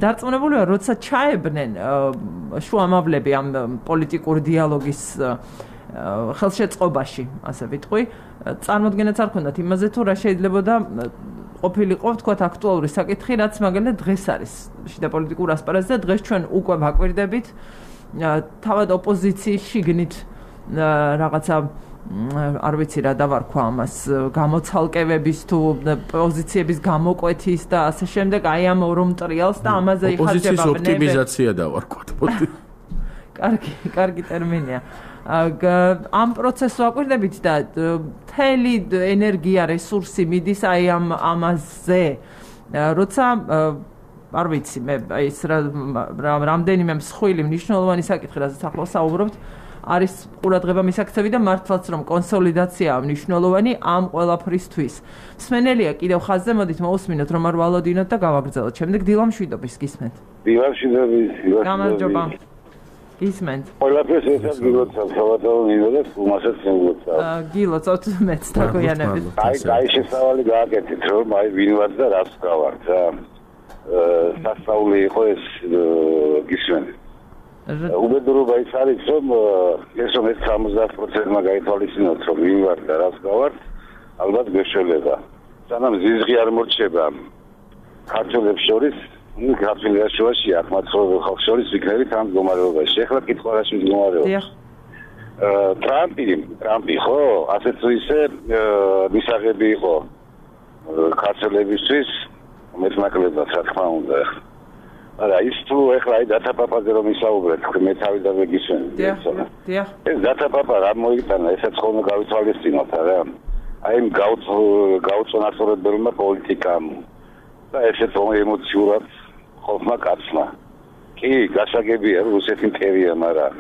დარწმუნებული ვარ, როცა ჩაებნენ შუამავლები ამ პოლიტიკური დიალოგის ხელშეწყობაში, ასე ვიტყვი, წარმოდგენაც არ ქონდათ იმაზე, თუ რა შეიძლება და ყოფილიყო, ვთქვათ, აქტუალური საკითხი, რაც მაგალითად დღეს არის შიდა პოლიტიკურ ასპარეზზე და დღეს ჩვენ უკვე ვაკვირდებით თავად ოპოზიციის შიგნით რაღაცა არ ვიცი რა დავარქვა ამას გამოცალკევების თუ პოზიციების გამოკვეთის და ასე შემდეგ, აი ამ ორ მტრიალს და ამაზე იხარჯება ბნები. ოპოზიციის ოპტიმიზაცია დავარქვათ. კარგი, კარგი ტერმინია. ამ პროცესს ვაკვირდებით და მთელი ენერგია, რესურსი მიდის აი ამ ამაზე. როცა არ ვიცი, მე ის რამდენიმე მსხვილი მნიშვნელოვანი საკითხი, რასაც ახლა საუბრობთ, არის ყურადღება მისაქცევი და მართლაც რომ კონსოლიდაციაა მნიშვნელოვანი ამ ყველაფრისთვის. მსმენელია კიდევ ხაზზე, მოდით მოусმინოთ რომ არ ვალოდინოთ და გავაგრძელოთ. შემდეგ დილა მშვიდობის გისმენთ. დილა მშვიდობის, დილა მშვიდობის. გამარჯობა. გისმენთ. ყველაფერს ერთად გილოცავ, საბათაო მინდოდეთ, უმასაც მოგლოცავ. გილოცავთ მეც დაგვიანებით. აი, აი შესავალი გააკეთეთ, რომ აი ვინ ვარ და რას გავართ, რა. სასწაული იყო ეს გისმენთ. უბედურობა ის არის, რომ ეს რომ ეს სამოცდაათ პროცენტმა გაითვალისწინოთ, რომ ვინ ვარ და რას გავართ, ალბათ გვეშველება. სანამ ზიზღი არ მორჩება ქართველებს შორის, ნუ ქართველებს შორში, აქ მაცხოვრებელ ხალხს შორის ვიქნებით ამ მდგომარეობაში. ეხლა კითხვა რაში მდგომარეობა? ტრამპი, ტრამპი ხო, ასეც ისე მისაღები იყო ქართველებისთვის, მეტნაკლებად, რა თქმა უნდა. არა, ის თუ ეხლა აი დათაპაპაზე რომ ისაუბრეთ, მე თავიდანვე გისმენთ. დიახ. ეს დათაპაპა რა მოიტანა, ესაც ხოლმე გავითვალისწინოთ, არა? აი იმ გაუწონასწორებელმა პოლიტიკამ და ესეც ემოციურად ხალხმა კაცმა. კი, გასაგებია, რუსეთი მტერია, მაგრამ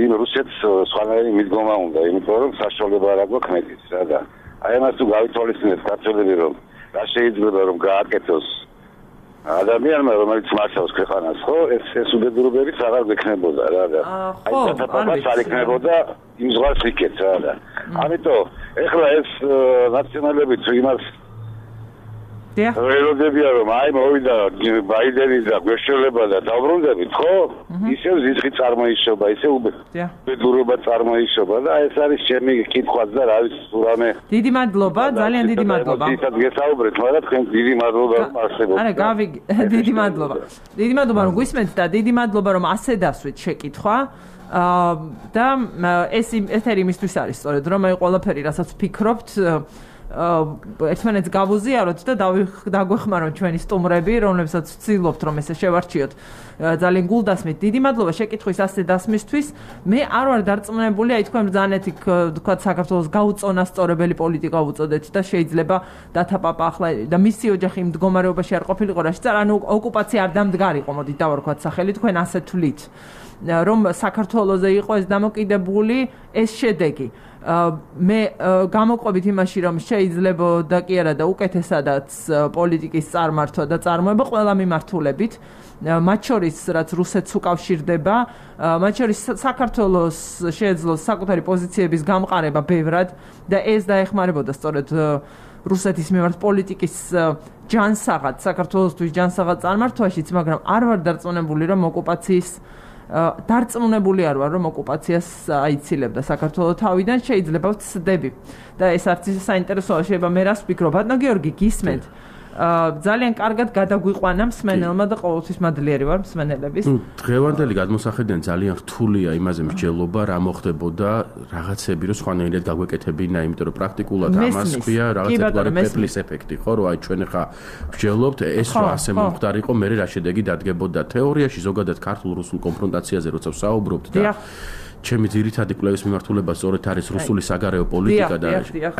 იმ რუსეთს სხვანაირი მიდგომა უნდა, იმიტომ რომ საშუალება არ აქვს მეტის, რა და აი ამას თუ გავითვალისწინეთ ქართველები, რომ რა შეიძლება რომ გააკეთოს ადამიანმა, რომელიც მართავს ქვეყანას, ხო, ეს ეს უბედურობებიც აღარ გექნებოდა რა და აი დათაპაპაც არ იქნებოდა იმ ზღვას იქეთ რა და ამიტომ ეხლა ეს ნაციონალები თუ იმას ველოდებია რომ აი მოვიდა ბაიდენი და გვეშველება და დავბრუნდებით, ხო? ისევ ზიზღი წარმოიშობა, ისევ უბედურობა წარმოიშობა და ეს არის ჩემი კითხვაც და რა ვიცი რამე. დიდი მადლობა, ძალიან დიდი მადლობა. ისეთ გესაუბრეთ, მაგრამ თქვენ დიდი მადლობა რომ არსებობთ. არა, გავი დიდი მადლობა. დიდი მადლობა რომ გვისმენთ და დიდი მადლობა რომ ასე დასვით შეკითხვა. და ეს ეთერი იმისთვის არის სწორედ რომ აი ყველაფერი რასაც ვფიქრობთ ერთმანეთს გავუზიაროთ და დაგვეხმაროთ ჩვენი სტუმრები, რომლებსაც ვცდილობთ რომ ესე შევარჩიოთ ძალიან გულდასმით. დიდი მადლობა შეკითხვის ასე დასმისთვის. მე არ ვარ დარწმუნებული, აი თქვენ ბრძანეთი თქვა საქართველოს გაუწონასწორებელი პოლიტიკა უწოდეთ და შეიძლება დათაპაპა ახლა და მისი ოჯახი იმ მდგომარეობაში არ ყოფილიყო, რაშიც არ ანუ ოკუპაცია არ დამდგარიყო, მოდით დავარქვათ სახელი, თქვენ ასე თვლით. რომ საქართველოზე იყო ეს დამოკიდებული ეს შედეგი. მე გამოყვებით იმაში რომ შეიძლებოდა კი არა და უკეთესადაც პოლიტიკის წარმართვა და წარმოება ყველა მიმართულებით მათ შორის რაც რუსეთს უკავშირდება მათ შორის საქართველოს შეეძლოს საკუთარი პოზიციების გამყარება ბევრად და ეს დაეხმარებოდა სწორედ რუსეთის მიმართ პოლიტიკის ჯანსაღად საქართველოსთვის ჯანსაღად წარმართვაშიც მაგრამ არ ვარ დარწმუნებული რომ ოკუპაციის დარწმუნებული არ ვარ რომ ოკუპაციას აიცილებდა საქართველოს თავიდან შეიძლება ვცდები და ეს არც ისე საინტერესოა შეიძლება მე რას ვფიქრობ ბატონო გიორგი გისმენთ ძალიან კარგად გადაგვიყვანა მსმენელმა და ყოველთვის მადლიერი ვარ მსმენელების. დღევანდელი გადმოსახედიდან ძალიან რთულია იმაზე მსჯელობა რა მოხდებოდა რაღაცები რომ სხვანაირად გაგვეკეთებინა, იმიტომ რომ პრაქტიკულად ამას ქვია რაღაცა პეპლის ეფექტი, ხო, რომ აი ჩვენ ხა მსჯელობთ, ეს რა ასე მომხდარიყო, მე რა შედეგი დადგებოდა თეორიაში ზოგადად ქართულ-რუსულ კონფრონტაციაზე როცა ვსაუბრობთ და ჩემი ძირითადი კვლევის მიმართულება სწორედ არის რუსული საგარეო პოლიტიკა და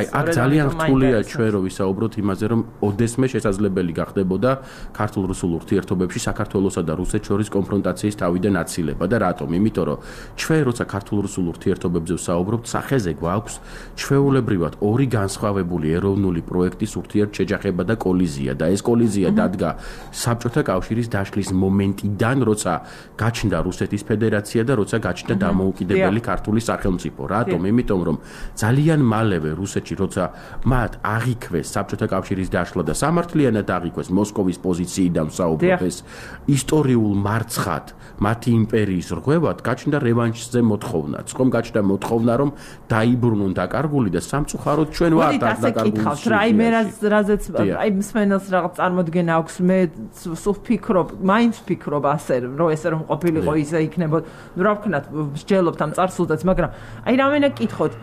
აი აქ ძალიან რთულია ჩვენ რომ ვისაუბროთ იმაზე რომ ოდესმე შესაძლებელი გახდებოდა ქართულ-რუსულ ურთიერთობებში საქართველოსა და რუსეთს შორის კონფრონტაციის თავიდან აცილება და რატომ? იმიტომ რომ ჩვენ როცა ქართულ-რუსულ ურთიერთობებზე ვსაუბრობთ, სახეზე გვაქვს ჩვეულებრივად ორი განსხვავებული ეროვნული პროექტის ურთიერთშეჯახება და კოლიზია და ეს კოლიზია დადგა საბჭოთა კავშირის დაშლის მომენტიდან, როცა გაჩნდა რუსეთის ფედერაცია და როცა გაჩნდა დამოუკიდებელი ქართული სახელმწიფო. რატომ? იმიტომ რომ ძალიან მალევე რუსეთში როცა მათ აღიქვეს საბჭოთა კავშირის დაშლა და სამართლიანად აღიქვეს მოსკოვის პოზიციიდან ვსაუბრობ, ისტორიულ მარცხად მათი იმპერიის რღვევად გაჩნდა რევანშზე მოთხოვნაც. ხომ გაჩნდა მოთხოვნა რომ დაიბრუნონ დაკარგული და სამწუხაროდ ჩვენ ვართ დაკარგული. აი მე რაზეც აი მსმენელს რაღაც წარმოდგენა აქვს მე სულ ვფიქრობ, მაინც ვფიქრობ ასე რომ ესე რომ ყოფილიყო ისე იქნებოდა. ნუ რა ვქნათ მსჯელობ ამ წარსულზეც, მაგრამ აი რამენა კითხოთ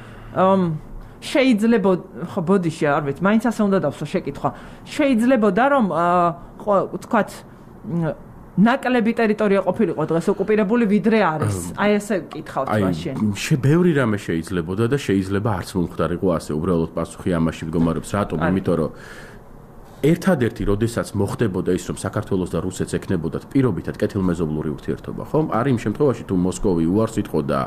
შეიძლება ხო ბოდიში არ ვიცი, მაინც ასე უნდა დავსვა შეკითხვა. შეიძლებოდა რომ ხო ვთქვათ ნაკლები ტერიტორია ყოფილიყო დღეს ოკუპირებული ვიდრე არის. აი ესე ვკითხავთ მაშინ. აი ბევრი რამე შეიძლებოდა და შეიძლება არც მომხდარიყო ასე, უბრალოდ პასუხი ამაში მდგომარეობს. რატომ? იმიტომ რომ ერთადერთი როდესაც მოხდებოდა ის რომ საქართველოს და რუსეთს ეკნებოდათ პირობითად კეთილმეზობლური ურთიერთობა, ხომ? არის იმ შემთხვევაში თუ მოსკოვი უარს იტყოდა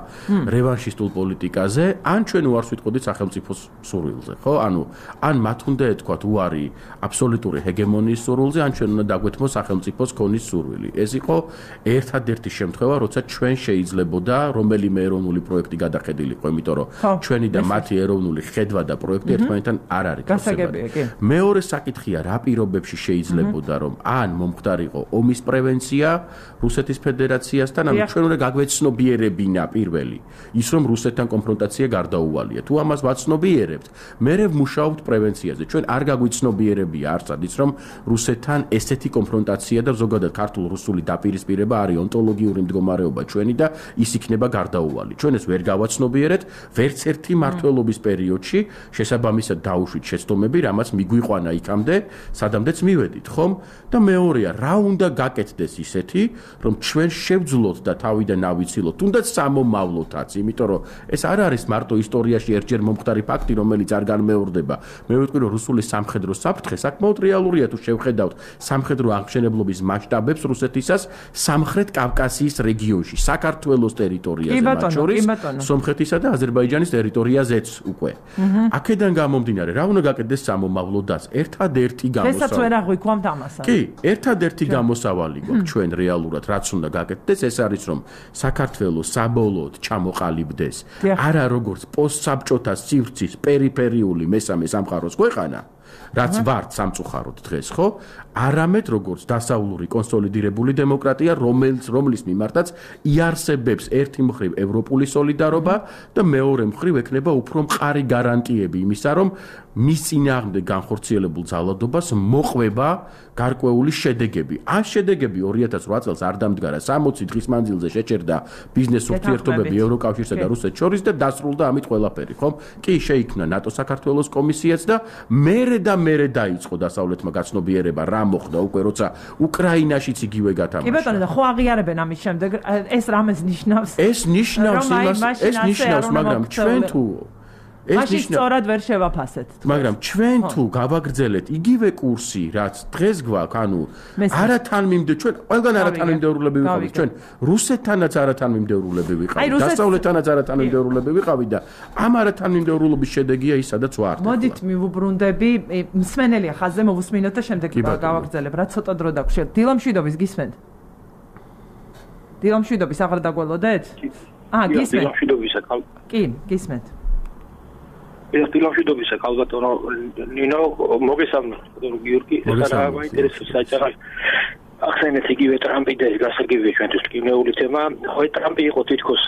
რევანშისტულ პოლიტიკაზე, ან ჩვენ უარს ვიტყოდით სახელმწიფოს სურვილზე, ხო? ანუ ან მათ უნდა ეთქვათ უარი აბსოლუტური ჰეგემონიის სურვილზე, ან ჩვენ უნდა დაგვეთმოს სახელმწიფოს ქონის სურვილი. ეს იყო ერთადერთი შემთხვევა, როცა ჩვენ შეიძლებოდა რომელიმე ეროვნული პროექტი გადახედილიყო, იმიტომ რომ ჩვენი და მათი ეროვნული ხედვა და პროექტი ერთმანეთთან არ არის გასაგებია. მეორე საკითხია რა პირობებში შეიძლებოდა რომ ან მომხდარიყო ომის პრევენცია რუსეთის ფედერაციასთან, ანუ ჩვენ უნდა გაგვეცნობიერებინა პირველი ის რომ რუსეთთან კონფრონტაცია გარდაუვალია. თუ ამას ვაცნობიერებთ, მერე ვმუშაობთ პრევენციაზე. ჩვენ არ გაგვიცნობიერებია არცად ის რომ რუსეთთან ესეთი კონფრონტაცია და ზოგადად ქართულ-რუსული დაპირისპირება არის ონტოლოგიური მდგომარეობა ჩვენი და ის იქნება გარდაუვალი. ჩვენ ეს ვერ გავაცნობიერეთ ვერც ერთი მმართველობის პერიოდში, შესაბამისად დაუშვით შეცდომები, რამაც მიგვიყვანა იქამდე სადამდეც მივედით, ხომ? და მეორეა, რა უნდა გაკეთდეს ისეთი, რომ ჩვენ შევძლოთ და თავიდან ავიცილოთ, თუნდაც სამომავლოთაც, იმიტომ რომ ეს არ არის მარტო ისტორიაში ერთჯერ მომხდარი ფაქტი, რომელიც არ განმეორდება. მე ვიტყვი, რომ რუსული სამხედრო საფრთხე საკმაოდ რეალურია თუ შევხედავთ სამხედრო აღმშენებლობის მასშტაბებს რუსეთისას სამხრეთ კავკასიის რეგიონში, საქართველოს ტერიტორიაზე, მათ შორის სომხეთისა და აზერბაიჯანის ტერიტორიაზეც უკვე. აქედან გამომდინარე, რა უნდა გაკეთდეს სამომავლოდაც? ერთადერთი დღესაც ვერ აღვიქვამთ ამასაც. კი, ერთადერთი გამოსავალი გვაქვს ჩვენ რეალურად, რაც უნდა გაკეთდეს, ეს არის რომ საქართველოს საბოლოოდ ჩამოყალიბდეს არა როგორც პოსტსაბჭოთა სივრცის პერიფერიული მესამე სამყაროს ქვეყანა, რაც ვართ სამწუხაროდ დღეს, ხო? არამედ როგორც დასავლური კონსოლიდირებული დემოკრატია, რომელიც რომლის მიმართაც იარსებებს ერთი მხრივ ევროპული სოლიდარობა და მეორე მხრივ ექნება უფრო მყარი გარანტიები იმისა, რომ მის წინააღმდეგ განხორციელებულ ძალადობას მოყვება გარკვეული შედეგები. ან შედეგები ორი ათას რვა წელს არ დამდგარა, სამოცი დღის მანძილზე შეჭერდა ბიზნეს ურთიერთობები ევროკავშირსა და რუსეთს შორის და დასრულდა ამით ყველაფერი, ხომ? კი, შეიქმნა ნატო საქართველოს კომისიაც და მერე და მერე დაიწყო დასავლეთმა გაცნობიერება რა მოხდა უკვე როცა უკრაინაშიც იგივე გათამაშა. კი ბატონო, და ხო აღიარებენ ამის შემდეგ ეს რამეს ნიშნავს? ეს ნიშნავს იმას, ეს ნიშნავს, მაგრამ ჩვენ თუ მაშინ სწორად ვერ შევაფასეთ. მაგრამ ჩვენ თუ გავაგრძელეთ იგივე კურსი, რაც დღეს გვაქვს, ანუ არა თანმიმდე ჩვენ ყველგან არა თანმიმდევრულები ვიყავით, ჩვენ რუსეთთანაც არა თანმიმდევრულები ვიყავით, დასავლეთთანაც არა თანმიმდევრულები ვიყავით და ამ არა თანმიმდევრულობის შედეგია ის, სადაც ვართ. მოდით მივუბრუნდები, მსმენელია ხაზზე მოვუსმინოთ და შემდეგ გავაგრძელებ, რა ცოტა დრო დაგვშევ. დილამშვიდობის გისმენთ? დილამშვიდობის აღარ დაგველოდეთ? აა, გისმენთ. დილამშვიდობისა, კი, გისმენთ. დილამშვიდობისა, ალბათო ნინო, მოგესალმებით, გიორგი, ეს რა მაინტერესებს საჭირო. ახსენეთ იგივე ტრამპი და ეს გასაგებია ჩვენთვის კინეული თემა. ხო, ტრამპი იყო თითქოს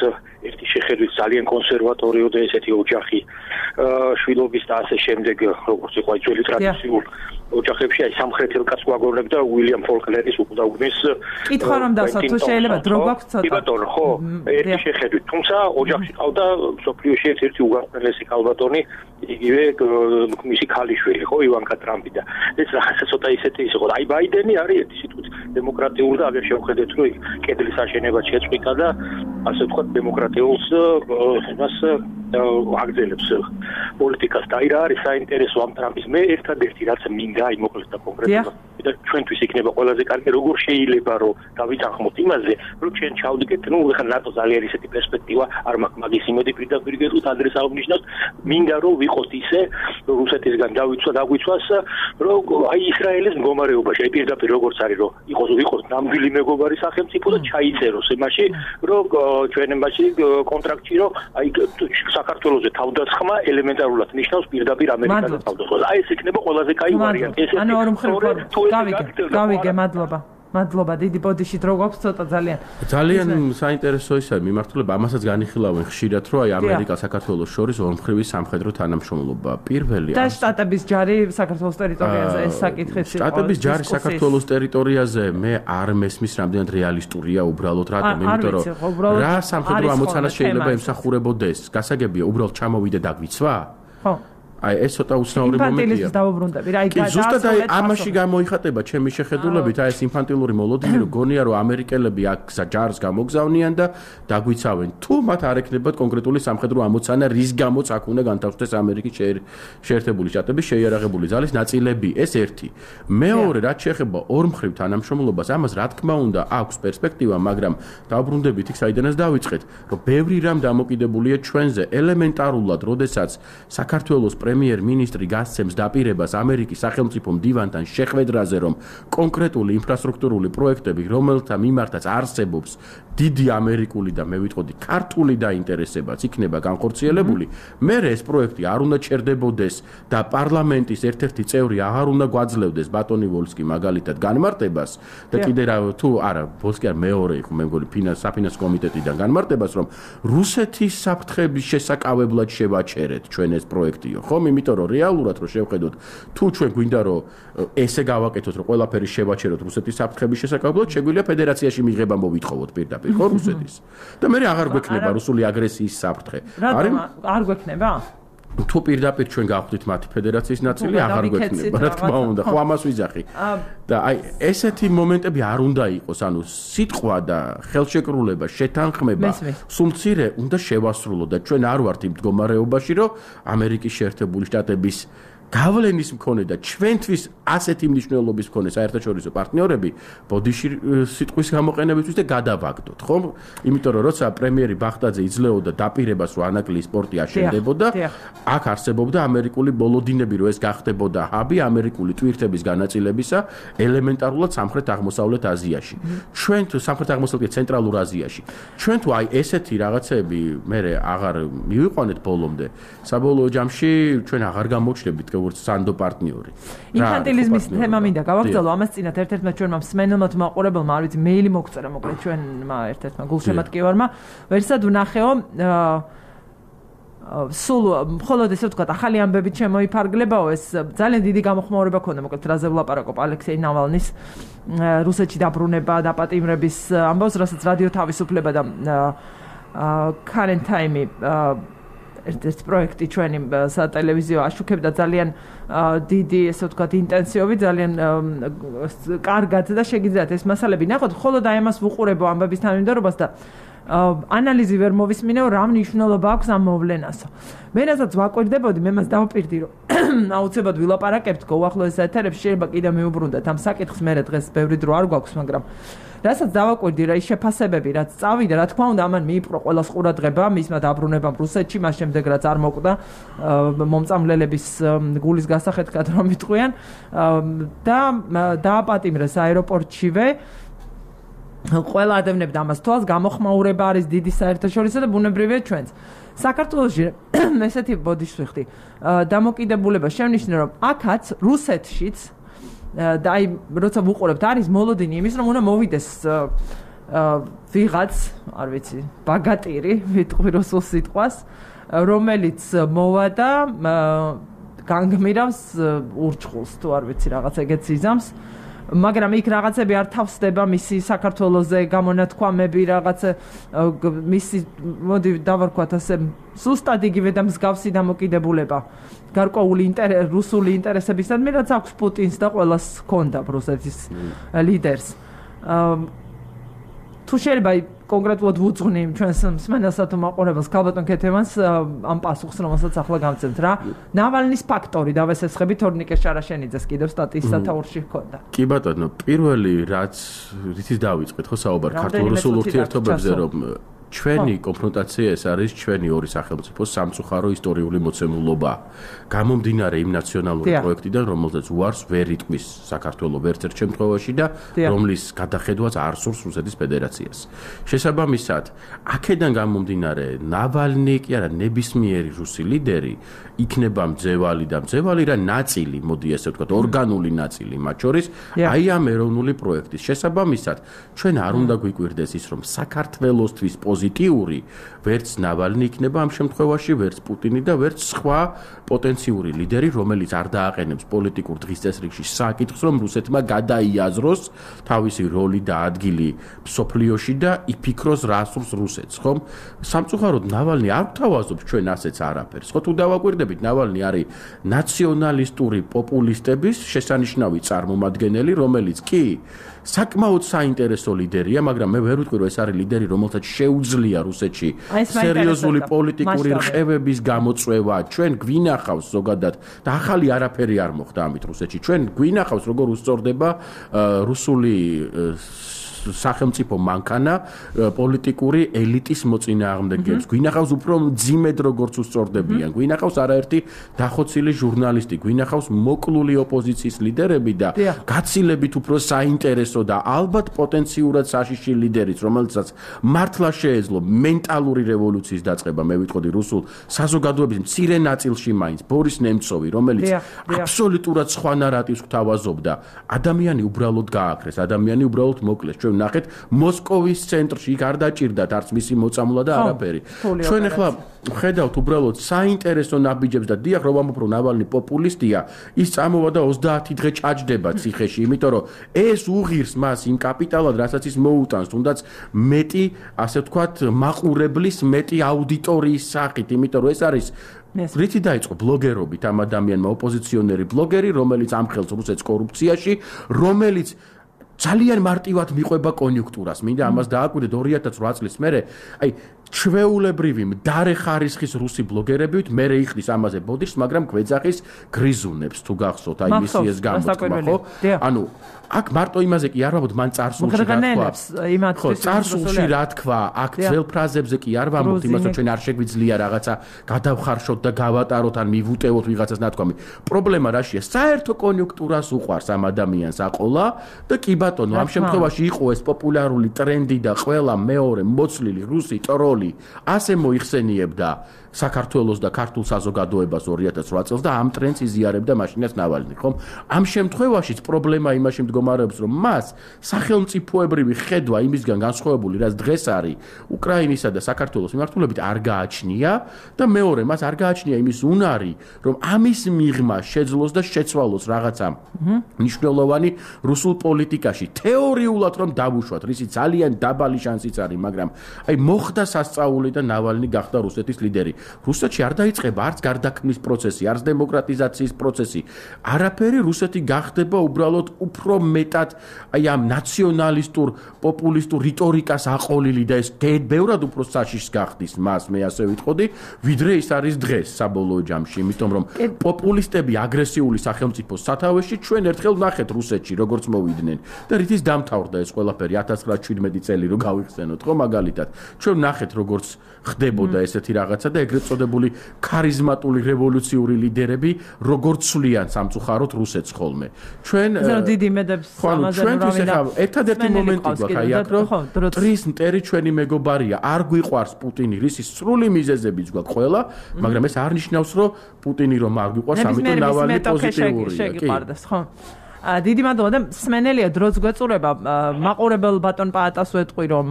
ერთი შეხედვით ძალიან კონსერვატორიო და ესეთი ოჯახი შვილობის და ასე შემდეგ, როგორც იყო ძველი ტრადიციულ ოჯახებში, აი სამხრეთელ კაცს გვაგონებდა უილიამ ფოლკლერის უკდაუგნის. კითხვა რომ დასვა, თუ შეიძლება დრო გვაქვს ცოტა. კი ბატონო, ხო, ერთი შეხედვით. თუმცა ოჯახში ყავდა სოფლიოში ერთ-ერთი უგანწმენელესი ქალბატონი, იგივე მისი ქალიშვილი, ხო, ივანკა ტრამპი და ეს რაღაცა ცოტა ისეთი ის იყო. აი ბაიდენი არის ერთი სიტყვით დემოკრატიულ და აღარ შევხედეთ, რომ კედლის აშენება შეწყვიტა და ასე ვთქვათ დემოკრატიულს მას აგრძელებს პოლიტიკას და აი რა არის საინტერესო ამ ტრამპის მე ერთადერთი რაც მინდა აი მოკლედ და კონკრეტულად და ჩვენთვის იქნება ყველაზე კარგი როგორ შეიძლება რომ დავიტანხმოთ იმაზე რომ ჩვენ ჩავდგეთ ნუ ხა ნატო ძალიან ისეთი პერსპექტივა არ მაქვს მაგის იმედი პირდაპირ გეტყვით ადრეს აღნიშნოთ მინდა რომ ვიყოთ ისე რომ რუსეთისგან დავიცვა დაგვიცვას რომ აი ისრაელის მდგომარეობაში აი პირდაპირ როგორც არის რომ იყოს ვიყოს ნამდვილი მეგობარი სახელმწიფო და ჩაიწეროს იმაში რომ ჩვენ იმაში კონტრაქტში რომ აი საქართველოს თავდასხმა ელემენტარულად ნიშნავს პირდაპირ ამერიკაზე თავდასხმას. აი ეს იქნება ყველაზე კაი ვარიანტი. ეს ანუ ორი მხრივ გავიგე, გავიგე, მადლობა. მადლობა, დიდი ბოდიში დრო გვაქვს ცოტა ძალიან. ძალიან საინტერესო ისაა მიმართულება, ამასაც განიხილავენ ხშირად, რომ აი ამერიკა საქართველოს შორის ორმხრივი სამხედრო თანამშრომლობა. პირველი და შტატების ჯარი საქართველოს ტერიტორიაზე ეს საკითხიც იყო. შტატების ჯარი საქართველოს ტერიტორიაზე მე არ მესმის რამდენად რეალისტურია უბრალოდ რატომ, იმიტომ რომ რა სამხედრო ამოცანა შეიძლება ემსახურებოდეს. გასაგებია, უბრალოდ ჩამოვიდე და გვიცვა? ხო. აი ეს ცოტა უცნაური მომენტია. ინფანტილიზმის დავუბრუნდები რა, იგი ზუსტად აი ამაში გამოიხატება ჩემი შეხედულებით, აი ეს ინფანტილური მოლოდინი, რომ გონია რომ ამერიკელები აქ ჯარს გამოგზავნიან და დაგვიცავენ. თუ მათ არ ექნებათ კონკრეტული სამხედრო ამოცანა, რის გამოც აქ უნდა განთავსდეს ამერიკის შეერთებული შტატების შეიარაღებული ძალის ნაწილები, ეს ერთი. მეორე, რაც შეეხება ორმხრივ თანამშრომლობას, ამას რა თქმა უნდა აქვს პერსპექტივა, მაგრამ დავუბრუნდებით იქ საიდანაც დავიწყეთ, რომ ბევრი რამ დამოკიდებულია ჩვენზე, ელემენტარულად, როდესაც საქართველოს პრემიერ-მინისტრი გასცემს დაპირებას ამერიკის სახელმწიფო მდივანთან შეხვედრაზე, რომ კონკრეტული ინფრასტრუქტურული პროექტები, რომელთა მიმართაც არსებობს დიდი ამერიკული და მე ვიტყოდი ქართული დაინტერესებაც იქნება განხორციელებული, მერე ეს პროექტი არ უნდა ჩერდებოდეს და პარლამენტის ერთ-ერთი წევრი აღარ უნდა გვაძლევდეს ბატონი ვოლსკი მაგალითად განმარტებას და კიდე რა თუ არა ვოლსკი არ მეორე იყო მე მგონი ფინანს საფინანსო კომიტეტიდან განმარტებას, რომ რუსეთის საფრთხების შესაკავებლად შევაჩერეთ ჩვენ ეს პროექტიო, ხო? იმიტომ რომ რეალურად რო შევხედოთ, თუ ჩვენ გვინდა რომ ესე გავაკეთოთ, რომ ყველაფერი შევაჩეროთ რუსეთის საფრთხების შესაკავებლად, შეგვიძლია ფედერაციაში მიღება მოვითხოვოთ პირდაპირ, ხო, რუსეთის. და მე აღარ გვექნება რუსული აგრესიის საფრთხე. არის არ გვექნება? თუ პირდაპირ ჩვენ გავხდით მათი ფედერაციის ნაწილი, აღარ გვექნება, რა თქმა უნდა, ხო ამას ვიძახი. და აი ესეთი მომენტები არ უნდა იყოს, ანუ სიტყვა და ხელშეკრულება, შეთანხმება, სულ მცირე უნდა შევასრულოთ და ჩვენ არ ვართ იმ მდგომარეობაში, რომ ამერიკის შეერთებული შტატების გავლენის მქონე და ჩვენთვის ასეთი მნიშვნელობის მქონე საერთაშორისო პარტნიორები ბოდიში სიტყვის გამოყენებისთვის და გადავაგდოთ, ხო? იმიტომ რომ როცა პრემიერი ბახტაძე იძლეოდა დაპირებას, რომ ანაკლიის პორტი აშენდებოდა, აქ არსებობდა ამერიკული ბოლოდინები, რომ ეს გახდებოდა ჰაბი ამერიკული ტვირთების განაწილებისა ელემენტარულად სამხრეთ-აღმოსავლეთ აზიაში. ჩვენ თუ სამხრეთ-აღმოსავლეთ ცენტრალურ აზიაში. ჩვენ თუ აი ესეთი რაღაცები მე აღარ მივიყვანეთ ბოლომდე, საბოლოო ჯამში ჩვენ აღარ გამოჩნდებით როგორც სანდო პარტნიორი. ინფანტილიზმის თემა მინდა გავაგრძელო, ამას წინათ ერთ-ერთმა ჩვენმა მსმენელმა თუ მაყურებელმა, არ ვიცი, მეილი მოგწერა მოკლედ ჩვენმა ერთ-ერთმა გულშემატკივარმა, ვერსად ვნახეო სულ მხოლოდ ესე ვთქვათ, ახალი ამბებით შემოიფარგლებაო, ეს ძალიან დიდი გამოხმაურება ქონდა მოკლედ რაზე ვლაპარაკობ ალექსეი ნავალნის რუსეთში დაბრუნება, დაპატიმრების ამბავს, რასაც რადიო თავისუფლება და Current Time ერთ-ერთი პროექტი ჩვენი სატელევიზიო აშუქებდა ძალიან დიდი, ესე ვთქვათ, ინტენსივობით, ძალიან კარგად და შეგიძლიათ ეს მასალები ნახოთ, ხოლო და ამას ვუყურებო ამბების თანმიმდევრობას და ანალიზი ვერ მოვისმინე, რა მნიშვნელობა აქვს ამ მოვლენასო. მე რასაც ვაკვირდებოდი, მე მას დავპირდი, რომ აუცილებლად ვილაპარაკებთ უახლოეს ეთერებში, შეიძლება კიდე მიუბრუნდეთ ამ საკითხს, მე დღეს ბევრი დრო არ გვაქვს, მაგრამ რასაც დავაკვირდი, რა ის შეფასებები, რაც წავიდა, რა თქმა უნდა, ამან მიიპყრო ყველას ყურადღება, მისმა დაბრუნებამ რუსეთში, მას შემდეგ რაც არ მოკვდა მომწამლელების გულის გასახეთქად რომ იტყვიან და დააპატიმრეს აეროპორტშივე. ყველა ადევნებდა ამას თვალს, გამოხმაურება არის დიდი საერთაშორისო და ბუნებრივია ჩვენც. საქართველოში ესეთი ბოდიშს ვიხდი. დამოკიდებულება შევნიშნე, რომ აქაც რუსეთშიც და აი როცა ვუყურებთ არის მოლოდინი იმის რომ უნდა მოვიდეს ვიღაც არ ვიცი ბაგატირი ვიტყვი რუსულ სიტყვას რომელიც მოვა და განგმირავს ურჩხულს თუ არ ვიცი რაღაც ეგეც იზამს მაგრამ იქ რაღაცები არ თავსდება მისი საქართველოზე გამონათქვამები რაღაც მისი მოდი დავარქვათ ასე სუსტად იგივე და მსგავსი დამოკიდებულება გარკვეული ინტერესი რუსული ინტერესებისადმი რაც აქვს პუტინს და ყველას ჰქონდა რუსეთის ლიდერს თუ შეიძლება კონკრეტულად ვუძღვნი ჩვენს მსმენელსა თუ მაყურებელს ქალბატონ ქეთევანს ამ პასუხს რომელსაც ახლა გამცემთ რა ნავალნის ფაქტორი დავესესხებით თორნიკე შარაშენიძეს კიდევ სტატიის სათაურში ჰქონდა კი ბატონო პირველი რაც რითიც დავიწყეთ ხო საუბარი ქართულ-რუსულ ურთიერთობებზე რომ ჩვენი კონფრონტაცია ეს არის ჩვენი ორი სახელმწიფოს სამწუხარო ისტორიული მოცემულობა. გამომდინარე იმ ნაციონალური პროექტიდან, რომელზეც უარს ვერ იტყვის საქართველოს ვერც ერთ შემთხვევაში და რომლის გადახედვაც არ სურს რუსეთის ფედერაციას. შესაბამისად, აქედან გამომდინარე, ნავალნი კი არა ნებისმიერი რუსი ლიდერი იქნება მძევალი და მძევალი რა ნაწილი, მოდი ასე ვთქვათ, ორგანული ნაწილი მათ შორის, აი ამ ეროვნული პროექტის. შესაბამისად, ჩვენ არ უნდა გვიკვირდეს ის, რომ საქართველოსთვის პოზიტიური ვერც ნავალნი იქნება ამ შემთხვევაში, ვერც პუტინი და ვერც სხვა პოტენციური ლიდერი, რომელიც არ დააყენებს პოლიტიკურ დღის წესრიგში საკითხს, რომ რუსეთმა გადაიაზროს თავისი როლი და ადგილი მსოფლიოში და იფიქროს რა სურს რუსეთს, ხომ? სამწუხაროდ ნავალნი არ გვთავაზობს ჩვენ ასეც არაფერს. ხო თუ დავაკვირდებით, ნავალნი არის ნაციონალისტური პოპულისტების შესანიშნავი წარმომადგენელი, რომელიც კი საკმაოდ საინტერესო ლიდერია, მაგრამ მე ვერ ვიტყვი, რომ ეს არის ლიდერი, რომელსაც შეუძლია რუსეთში სერიოზული პოლიტიკური რყევების გამოწვევა. ჩვენ გვინახავს ზოგადად და ახალი არაფერი არ მოხდა ამით რუსეთში. ჩვენ გვინახავს როგორ უსწორდება რუსული სახელმწიფო მანქანა პოლიტიკური ელიტის მოწინააღმდეგეებს. გვინახავს უფრო მძიმედ როგორც უსწორდებიან. გვინახავს არაერთი დახოცილი ჟურნალისტი, გვინახავს მოკლული ოპოზიციის ლიდერები და გაცილებით უფრო საინტერესო და ალბათ პოტენციურად საშიში ლიდერიც, რომელსაც მართლა შეეძლო მენტალური რევოლუციის დაწყება, მე ვიტყოდი რუსულ საზოგადოების მცირე ნაწილში მაინც ბორის ნემცოვი, რომელიც აბსოლუტურად სხვა ნარატივს გვთავაზობდა. ადამიანი უბრალოდ გააქრეს, ადამიანი უბრალოდ მოკლეს. ჩვენ ნახეთ მოსკოვის ცენტრში იქ არ დაჭირდათ არც მისი მოწამვლა და არაფერი. ჩვენ ახლა ხედავთ უბრალოდ საინტერესო ნაბიჯებს და დიახ რომ ამბობ რომ ნავალნი პოპულისტია, ის წამოვა და ოცდაათი დღე ჭაჭდება ციხეში, იმიტომ რომ ეს უღირს მას იმ კაპიტალად, რასაც ის მოუტანს, თუნდაც მეტი, ასე ვთქვათ, მაყურებლის, მეტი აუდიტორიის სახით, იმიტომ რომ ეს არის რითი დაიწყო ბლოგერობით ამ ადამიანმა ოპოზიციონერი ბლოგერი, რომელიც ამხელს რუსეთს კორუფციაში, რომელიც ძალიან მარტივად მიყვება კონიუნქტურას. მინდა ამას დააკვირდეთ ორი ათას რვა წლის მერე, აი ჩვეულებრივი მდარე ხარისხის რუსი ბლოგერებით მერე იხდის ამაზე ბოდიშს, მაგრამ გვეძახის გრიზუნებს თუ გახსოვთ, აი მისი ეს გამოთქმა, ხო? ანუ აქ მარტო იმაზე კი არ ვამბობთ, მან წარსულში რა თქვა. ხო, წარსულში რა თქვა, აქ ძველ ფრაზებზე კი არ ვამბობთ, იმას რომ ჩვენ არ შეგვიძლია რაღაცა გადავხარშოთ და გავატაროთ ან მივუტევოთ ვიღაცას ნათქვამი. პრობლემა რაშია? საერთო კონიუნქტურას უყვარს ამ ადამიანს აყოლა და კი ბატონო, ამ შემთხვევაში იყო ეს პოპულარული ტრენდი და ყველა მეორე მოცლილი რუსი ტროლი ასე მოიხსენიებდა საქართველოს და ქართულ საზოგადოებას ორი ათას რვა წელს და ამ ტრენდს იზიარებდა მაშინაც ნავალნი, ხომ? ამ შემთხვევაშიც პრობლემა იმაში მდგომარეობს, რომ მას სახელმწიფოებრივი ხედვა იმისგან განსხვავებული, რაც დღეს არის უკრაინისა და საქართველოს მიმართულებით არ გააჩნია და მეორე, მას არ გააჩნია იმის უნარი, რომ ამის მიღმა შეძლოს და შეცვალოს რაღაცა მნიშვნელოვანი რუსულ პოლიტიკაში. თეორიულად რომ დავუშვათ, რისი ძალიან დაბალი შანსიც არის, მაგრამ აი მოხდა დაასწაული და ნავალნი გახდა რუსეთის ლიდერი. რუსეთში არ დაიწყება არც გარდაქმნის პროცესი, არც დემოკრატიზაციის პროცესი. არაფერი რუსეთი გახდება უბრალოდ უფრო მეტად აი ამ ნაციონალისტურ, პოპულისტურ რიტორიკას აყოლილი და ეს ბევრად უფრო საშიშს გახდის მას, მე ასე ვიტყოდი, ვიდრე ის არის დღეს საბოლოო ჯამში, იმიტომ რომ პოპულისტები აგრესიული სახელმწიფოს სათავეში ჩვენ ერთხელ ვნახეთ რუსეთში როგორც მოვიდნენ და რითიც დამთავრდა ეს ყველაფერი ათას ცხრაასი წელი რო გავიხსენოთ, ხო მაგალითად. ჩვენ ვნახეთ როგორც ხდებოდა ესეთი რაღაცა და ეგრეთ წოდებული ქარიზმატული რევოლუციური ლიდერები როგორც ცვლიან სამწუხაროდ რუსეთს ხოლმე. ჩვენ დიდი იმედებს ამაზე რა ერთადერთი მომენტი გვაქვს აი აქ რომ ტრის მტერი ჩვენი მეგობარია, არ გვიყვარს პუტინი, რისის სრული მიზეზებიც გვაქვს ყველა, მაგრამ ეს არ ნიშნავს რომ პუტინი რომ არ გვიყვარს, ამიტომ ნავალნი პოზიტიურია, კი. ხო. დიდი მადლობა და სმენელია დროც გვეწურება მაყურებელ ბატონ პაატას ვეტყვი რომ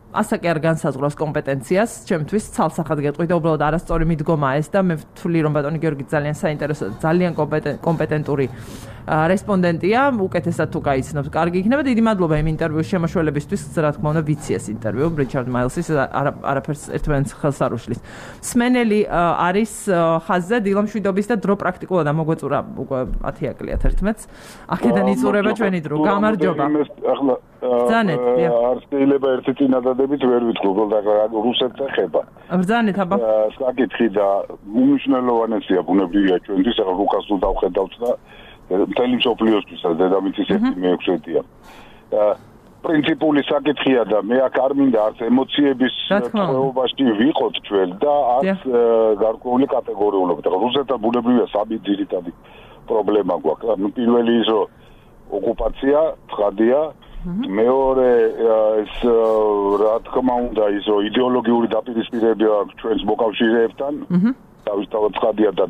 ასაკი არ განსაზღვრავს კომპეტენციას, ჩემთვის ცალსახად გეტყვი და უბრალოდ არასწორი მიდგომაა ეს და მე ვთვლი რომ ბატონი გიორგი ძალიან საინტერესო და ძალიან კომპეტენტური რესპონდენტია, უკეთესად თუ გაიცნობს, კარგი იქნება. დიდი მადლობა იმ ინტერვიუს შემოშველებისთვის, რა თქმა უნდა, ვიცი ეს ინტერვიუ რიჩარდ მაილსის არაფერს ერთმანეთს ხელს არ უშლის. სმენელი არის ხაზზე დილამშვიდობის და დრო პრაქტიკულად ამოგვეწურა უკვე ათი აკლია ერთმანეთს. აქედან იწურება ჩვენი დრო. გამარჯობა. ბრძანეთ, არ შეიძლება ერთი წინადადებით ვერ ვიტყვი, უბრალოდ რუსეთს ეხება. ბრძანეთ, აბა. საკითხი და უმნიშვნელოვანესია ბუნებრივია ჩვენთვის, ახლა რუკას თუ დავხედავთ და მთელი მსოფლიოსთვისაც დედამიწის ერთი მეექვსედია. პრინციპული საკითხია და მე აქ არ მინდა არც ემოციების ხეობაში ვიყოთ ჩვენ და არც გარკვეული კატეგორიულობით. რუსეთთან ბუნებრივია სამი ძირითადი პრობლემა გვაქვს. ნუ პირველი ის რომ ოკუპაცია, ცხადია, მეორე ეს რა თქმა უნდა ის რომ იდეოლოგიური დაპირისპირება აქვს ჩვენს მოკავშირეებთან. თავისთავად ცხადია და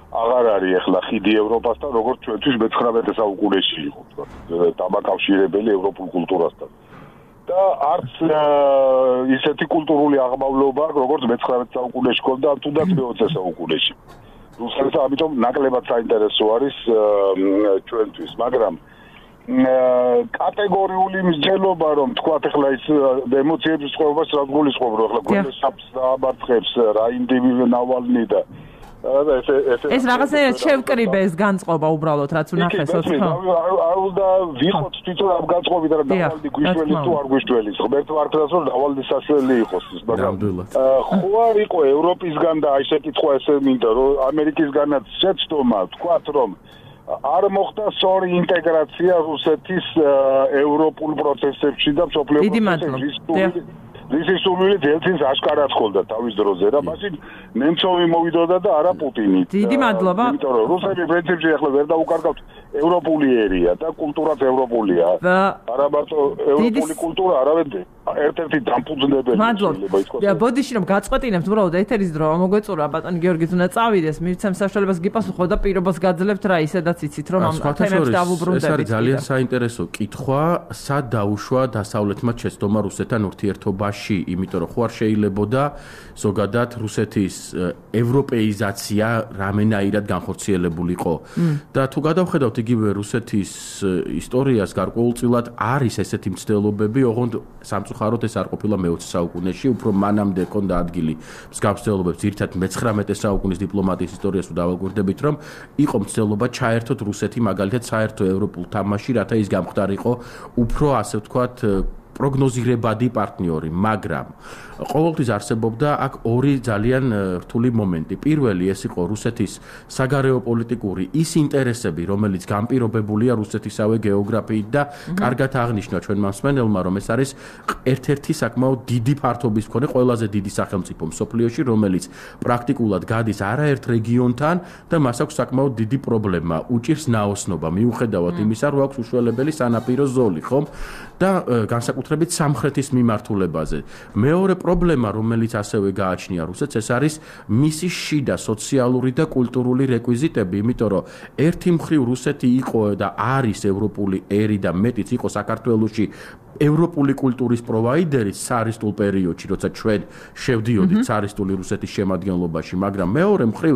აღარ არის ახლა ხიდი ევროპასთან, როგორც ჩვენთვის მეცხრამეტე საუკუნეში იყო, დამაკავშირებელი ევროპულ კულტურასთან. და არც ისეთი კულტურული აღმავლობა, როგორც მეცხრამეტე საუკუნეში ჰქონდა, თუნდაც მეოცე საუკუნეში. რუსეთს ამიტომ ნაკლებად საინტერესო არის ჩვენთვის, მაგრამ კატეგორიული მსჯელობა რომ თქვათ ახლა ის ემოციების წყობას რა გულისხმობ რომ ახლა გვენდებს ამარცხებს რა ინდივიდი ნავალნი და ეს რაღაცა შევკრიბე ეს განწყობა უბრალოდ რაც უნახეს ხო? არ უნდა ვიყოთ თვითონ ამ განწყობით რა ნავალნი გვიშველი თუ არ გვიშველი ღმერთ ვარქმას რომ ნავალნი საშველი იყოს მაგრამ ხო არ იყო ევროპისგან და აი შეკითხვა ესე მინდა რომ ამერიკისგანაც შეცდომა თქვათ რომ არ მოხდა სწორი ინტეგრაცია რუსეთის ევროპულ პროცესებში და მსოფლიო პროცესებში. This სურვილი ძელწინს აშკარად ხოლდა თავის დროზე რა მაშინ ნემცოვი მოვიდოდა და არა პუტინი. დიდი მადლობა. იმიტომ რომ რუსები პრინციპში ახლა ვერ დაუკარგავთ ევროპული ერია და კულტურაც ევროპულია. არა მარტო ევროპული კულტურა, არავედ ერთ-ერთი დამფუძნებელი. მადლობა. ბოდიში რომ გაწყვეტინებთ უბრალოდ ეთერის დრო მოგვეწურა ბატონი გიორგის უნდა წავიდეს, მივცემ საშუალებას გიპასუხო და პირობას გაძლევთ რა ისედაც იცით რომ ამ თემებს დავუბრუნდებით. ეს არის ძალიან საინტერესო კითხვა, სად დაუშვა დასავლეთმა შეცდომა რუსეთთან ურთიერთობაში, იმიტომ რომ ხო არ შეიძლებოდა ზოგადად რუსეთის ევროპეიზაცია რამენაირად განხორციელებულიყო. და თუ გადავხედავთ იგივე რუსეთის ისტორიას გარკვეულწილად არის ესეთი მცდელობები, ოღონდ სამწუხაროდ ეს არ ყოფილა მეოცე საუკუნეში, უფრო მანამდე ჰქონდა ადგილი მსგავს მცდელობებს, ძირითადად მეცხრამეტე საუკუნის დიპლომატიის ისტორიას თუ დავაკვირდებით, რომ იყო მცდელობა ჩაერთოთ რუსეთი მაგალითად საერთო ევროპულ თამაში, რათა ის გამხდარიყო უფრო ასე ვთქვათ პროგნოზირებადი პარტნიორი, მაგრამ ყოველთვის არსებობდა აქ ორი ძალიან რთული მომენტი. პირველი ეს იყო რუსეთის საგარეო პოლიტიკური ის ინტერესები, რომელიც განპირობებულია რუსეთისავე გეოგრაფიით და კარგად აღნიშნა ჩვენმა მსმენელმა, რომ ეს არის ერთ-ერთი საკმაოდ დიდი ფართობის მქონე ყველაზე დიდი სახელმწიფო მსოფლიოში, რომელიც პრაქტიკულად გადის არაერთ რეგიონთან და მას აქვს საკმაოდ დიდი პრობლემა, უჭირს ნაოსნობა, მიუხედავად იმისა, რომ აქვს უშველებელი სანაპირო ზოლი, ხომ? და განსაკუთრებით სამხრეთის მიმართულებაზე. მეორე პრობლემა, რომელიც ასევე გააჩნია რუსეთს, ეს არის მისი შიდა სოციალური და კულტურული რეკვიზიტები, იმიტომ რომ ერთი მხრივ რუსეთი იყო და არის ევროპული ერი და მეტიც იყო საქართველოში ევროპული კულტურის პროვაიდერი ცარისტულ პერიოდში, როცა ჩვენ შევდიოდით ცარისტული რუსეთის შემადგენლობაში, მაგრამ მეორე მხრივ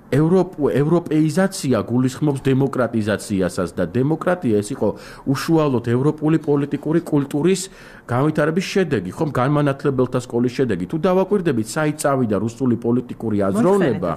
ევროპეიზაცია გულისხმობს დემოკრატიზაციასაც და დემოკრატია ეს იყო უშუალოდ ევროპული პოლიტიკური კულტურის განვითარების შედეგი, ხომ განმანათლებელთა სკოლის შედეგი. თუ დავაკვირდებით, საით წავიდა რუსული პოლიტიკური აზროვნება,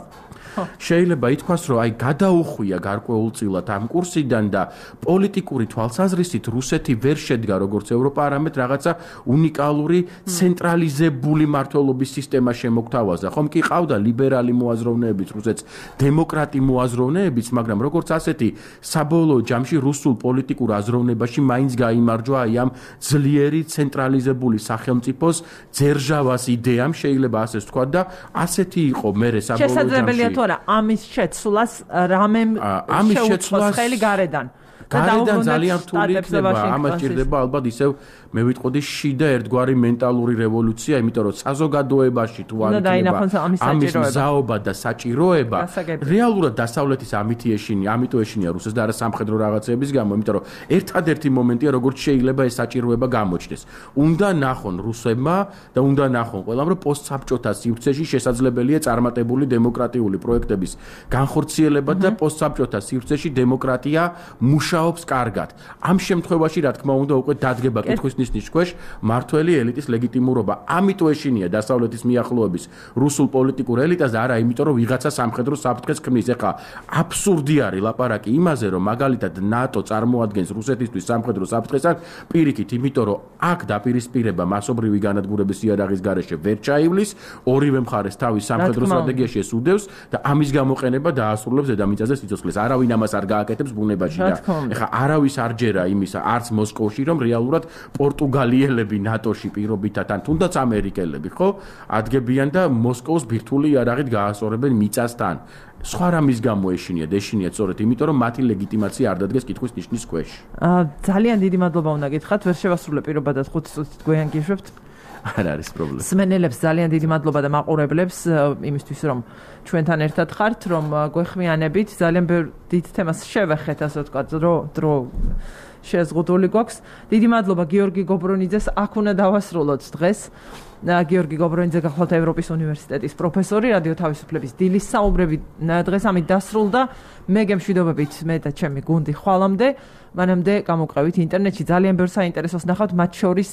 შეიძლება ითქვას, რომ აი გადაუხვია გარკვეულწილად ამ კურსიდან და პოლიტიკური თვალსაზრისით რუსეთი ვერ შედგა როგორც ევროპა, არამედ რაღაცა უნიკალური ცენტრალიზებული მმართველობის სისტემა შემოგთავაზა. ხომ კი ყავდა ლიბერალი მოაზროვნეებიც, რუსეთს დემოკრატი მოაზროვნეებიც, მაგრამ როგორც ასეთი საბოლოო ჯამში რუსულ პოლიტიკურ აზროვნებაში მაინც გაიმარჯვა აი ამ ძლიერი ცენტრალიზებული სახელმწიფოს ძერჟავას იდეამ, შეიძლება ასე ვთქვა და ასეთი იყო მერე საბოლოო ჯამში. არა ამის შეცვლას რამემ შეუწყოს ხელი გარედან გარედან ძალიან რთული იქნება ამას ჭირდება ალბათ ისევ მე ვიტყოდი შიდა ერთგვარი მენტალური რევოლუცია, იმიტომ რომ საზოგადოებაში თუ არ იქნება ამის მზაობა და საჭიროება, რეალურად დასავლეთის ამით ეშინია, ამიტომ ეშინია რუსეთს და არა სამხედრო რაღაცების გამო, იმიტომ რომ ერთადერთი მომენტია, როგორც შეიძლება ეს საჭიროება გამოჩნდეს. უნდა ნახონ რუსებმა და უნდა ნახონ ყველამ, რომ პოსტსაბჭოთა სივრცეში შესაძლებელია წარმატებული დემოკრატიული პროექტების განხორციელება და პოსტსაბჭოთა სივრცეში დემოკრატია მუშაობს კარგად. ამ შემთხვევაში, რა თქმა უნდა, უკვე დადგება კითხვის ნიშნის ქვეშ მართველი ელიტის ლეგიტიმურობა. ამიტომ ეშინია დასავლეთის მიახლოების რუსულ პოლიტიკურ ელიტას და არა იმიტომ, რომ ვიღაცა სამხედრო საფრთხეს ქმნის. ეხლა აბსურდი არის ლაპარაკი იმაზე, რომ მაგალითად ნატო წარმოადგენს რუსეთისთვის სამხედრო საფრთხეს, აქ პირიქით, იმიტომ რომ აქ დაპირისპირება მასობრივი განადგურების იარაღის გარეშე ვერ ჩაივლის, ორივე მხარეს თავის სამხედრო სტრატეგიაში ეს უდევს და ამის გამოყენება დაასრულებს დედამიწაზე სიცოცხლეს. არავინ ამას არ გააკეთებს ბუნებაში და ეხლა არავის არ ჯერა იმისა, არც მოსკოვში, რომ რეალურად პორტუგალიელები ნატოში პირობითად ან თუნდაც ამერიკელები, ხო, ადგებიან და მოსკოვს ბირთვული იარაღით გაასწორებენ მიწასთან. სხვა რამის გამო ეშინიათ, ეშინიათ სწორედ იმიტომ, რომ მათი ლეგიტიმაცია არ დადგეს კითხვის ნიშნის ქვეშ. ძალიან დიდი მადლობა უნდა გითხრათ, ვერ შევასრულე პირობადად ხუთი წუთით გვეანგიშვებთ. არ არის პრობლემა. სმენელებს ძალიან დიდი მადლობა და მაყურებლებს იმისთვის, რომ ჩვენთან ერთად ხართ, რომ გვეხმიანებით, ძალიან ბევრ დიდ თემას შევეხეთ, ასე ვთქვათ, დრო დრო შეზღუდული გვაქვს. დიდი მადლობა გიორგი გობრონიძეს, აქ უნდა დავასრულოთ დღეს. გიორგი გობრონიძე გახლავთ ევროპის უნივერსიტეტის პროფესორი, რადიო თავისუფლების დილის საუბრები დღეს ამით დასრულდა. მე გემშვიდობებით მე და ჩემი გუნდი ხვალამდე, მანამდე გამოვყევით ინტერნეტში ძალიან ბევრ საინტერესოს ნახავთ, მათ შორის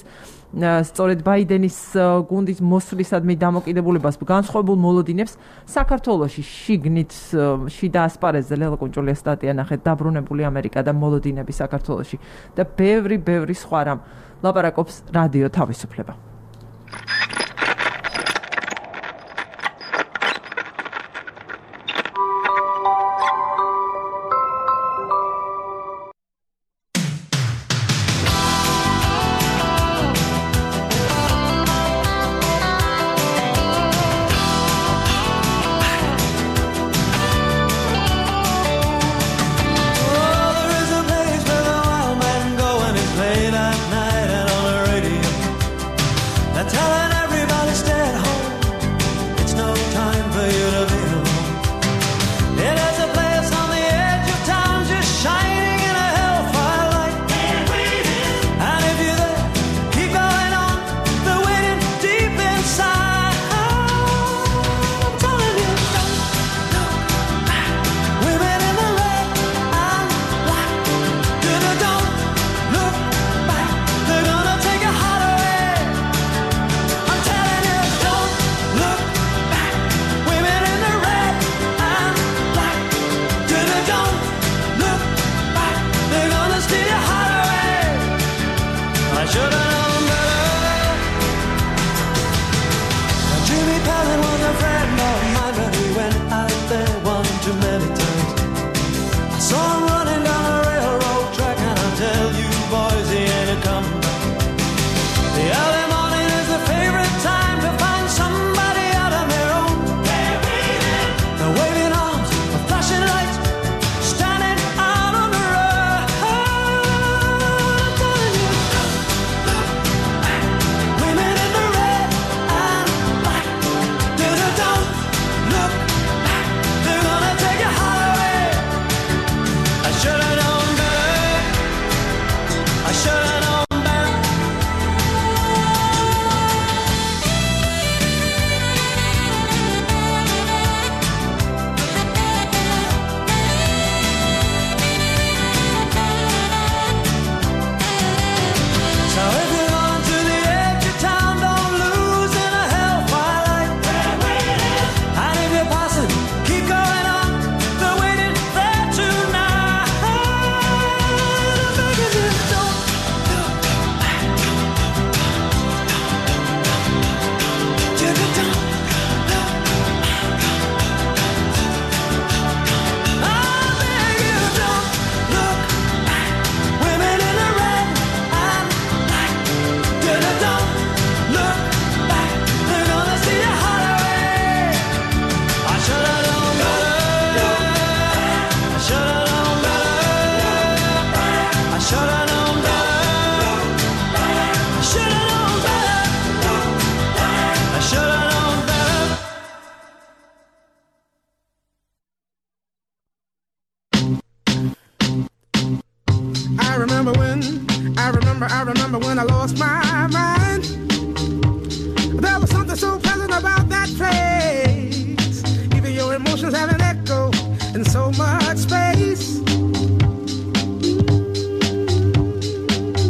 სწორედ ბაიდენის გუნდის მოსვლისადმი დამოკიდებულებას განსხვავებულ მოლოდინებს საქართველოში შიგნით შიდა ასპარეზზე ლელა კუნჭულიას სტატია ნახეთ, დაბრუნებული ამერიკა და მოლოდინები საქართველოში და ბევრი ბევრი სხვა რამ ლაპარაკობს რადიო თავისუფლება. I remember, I remember when I lost my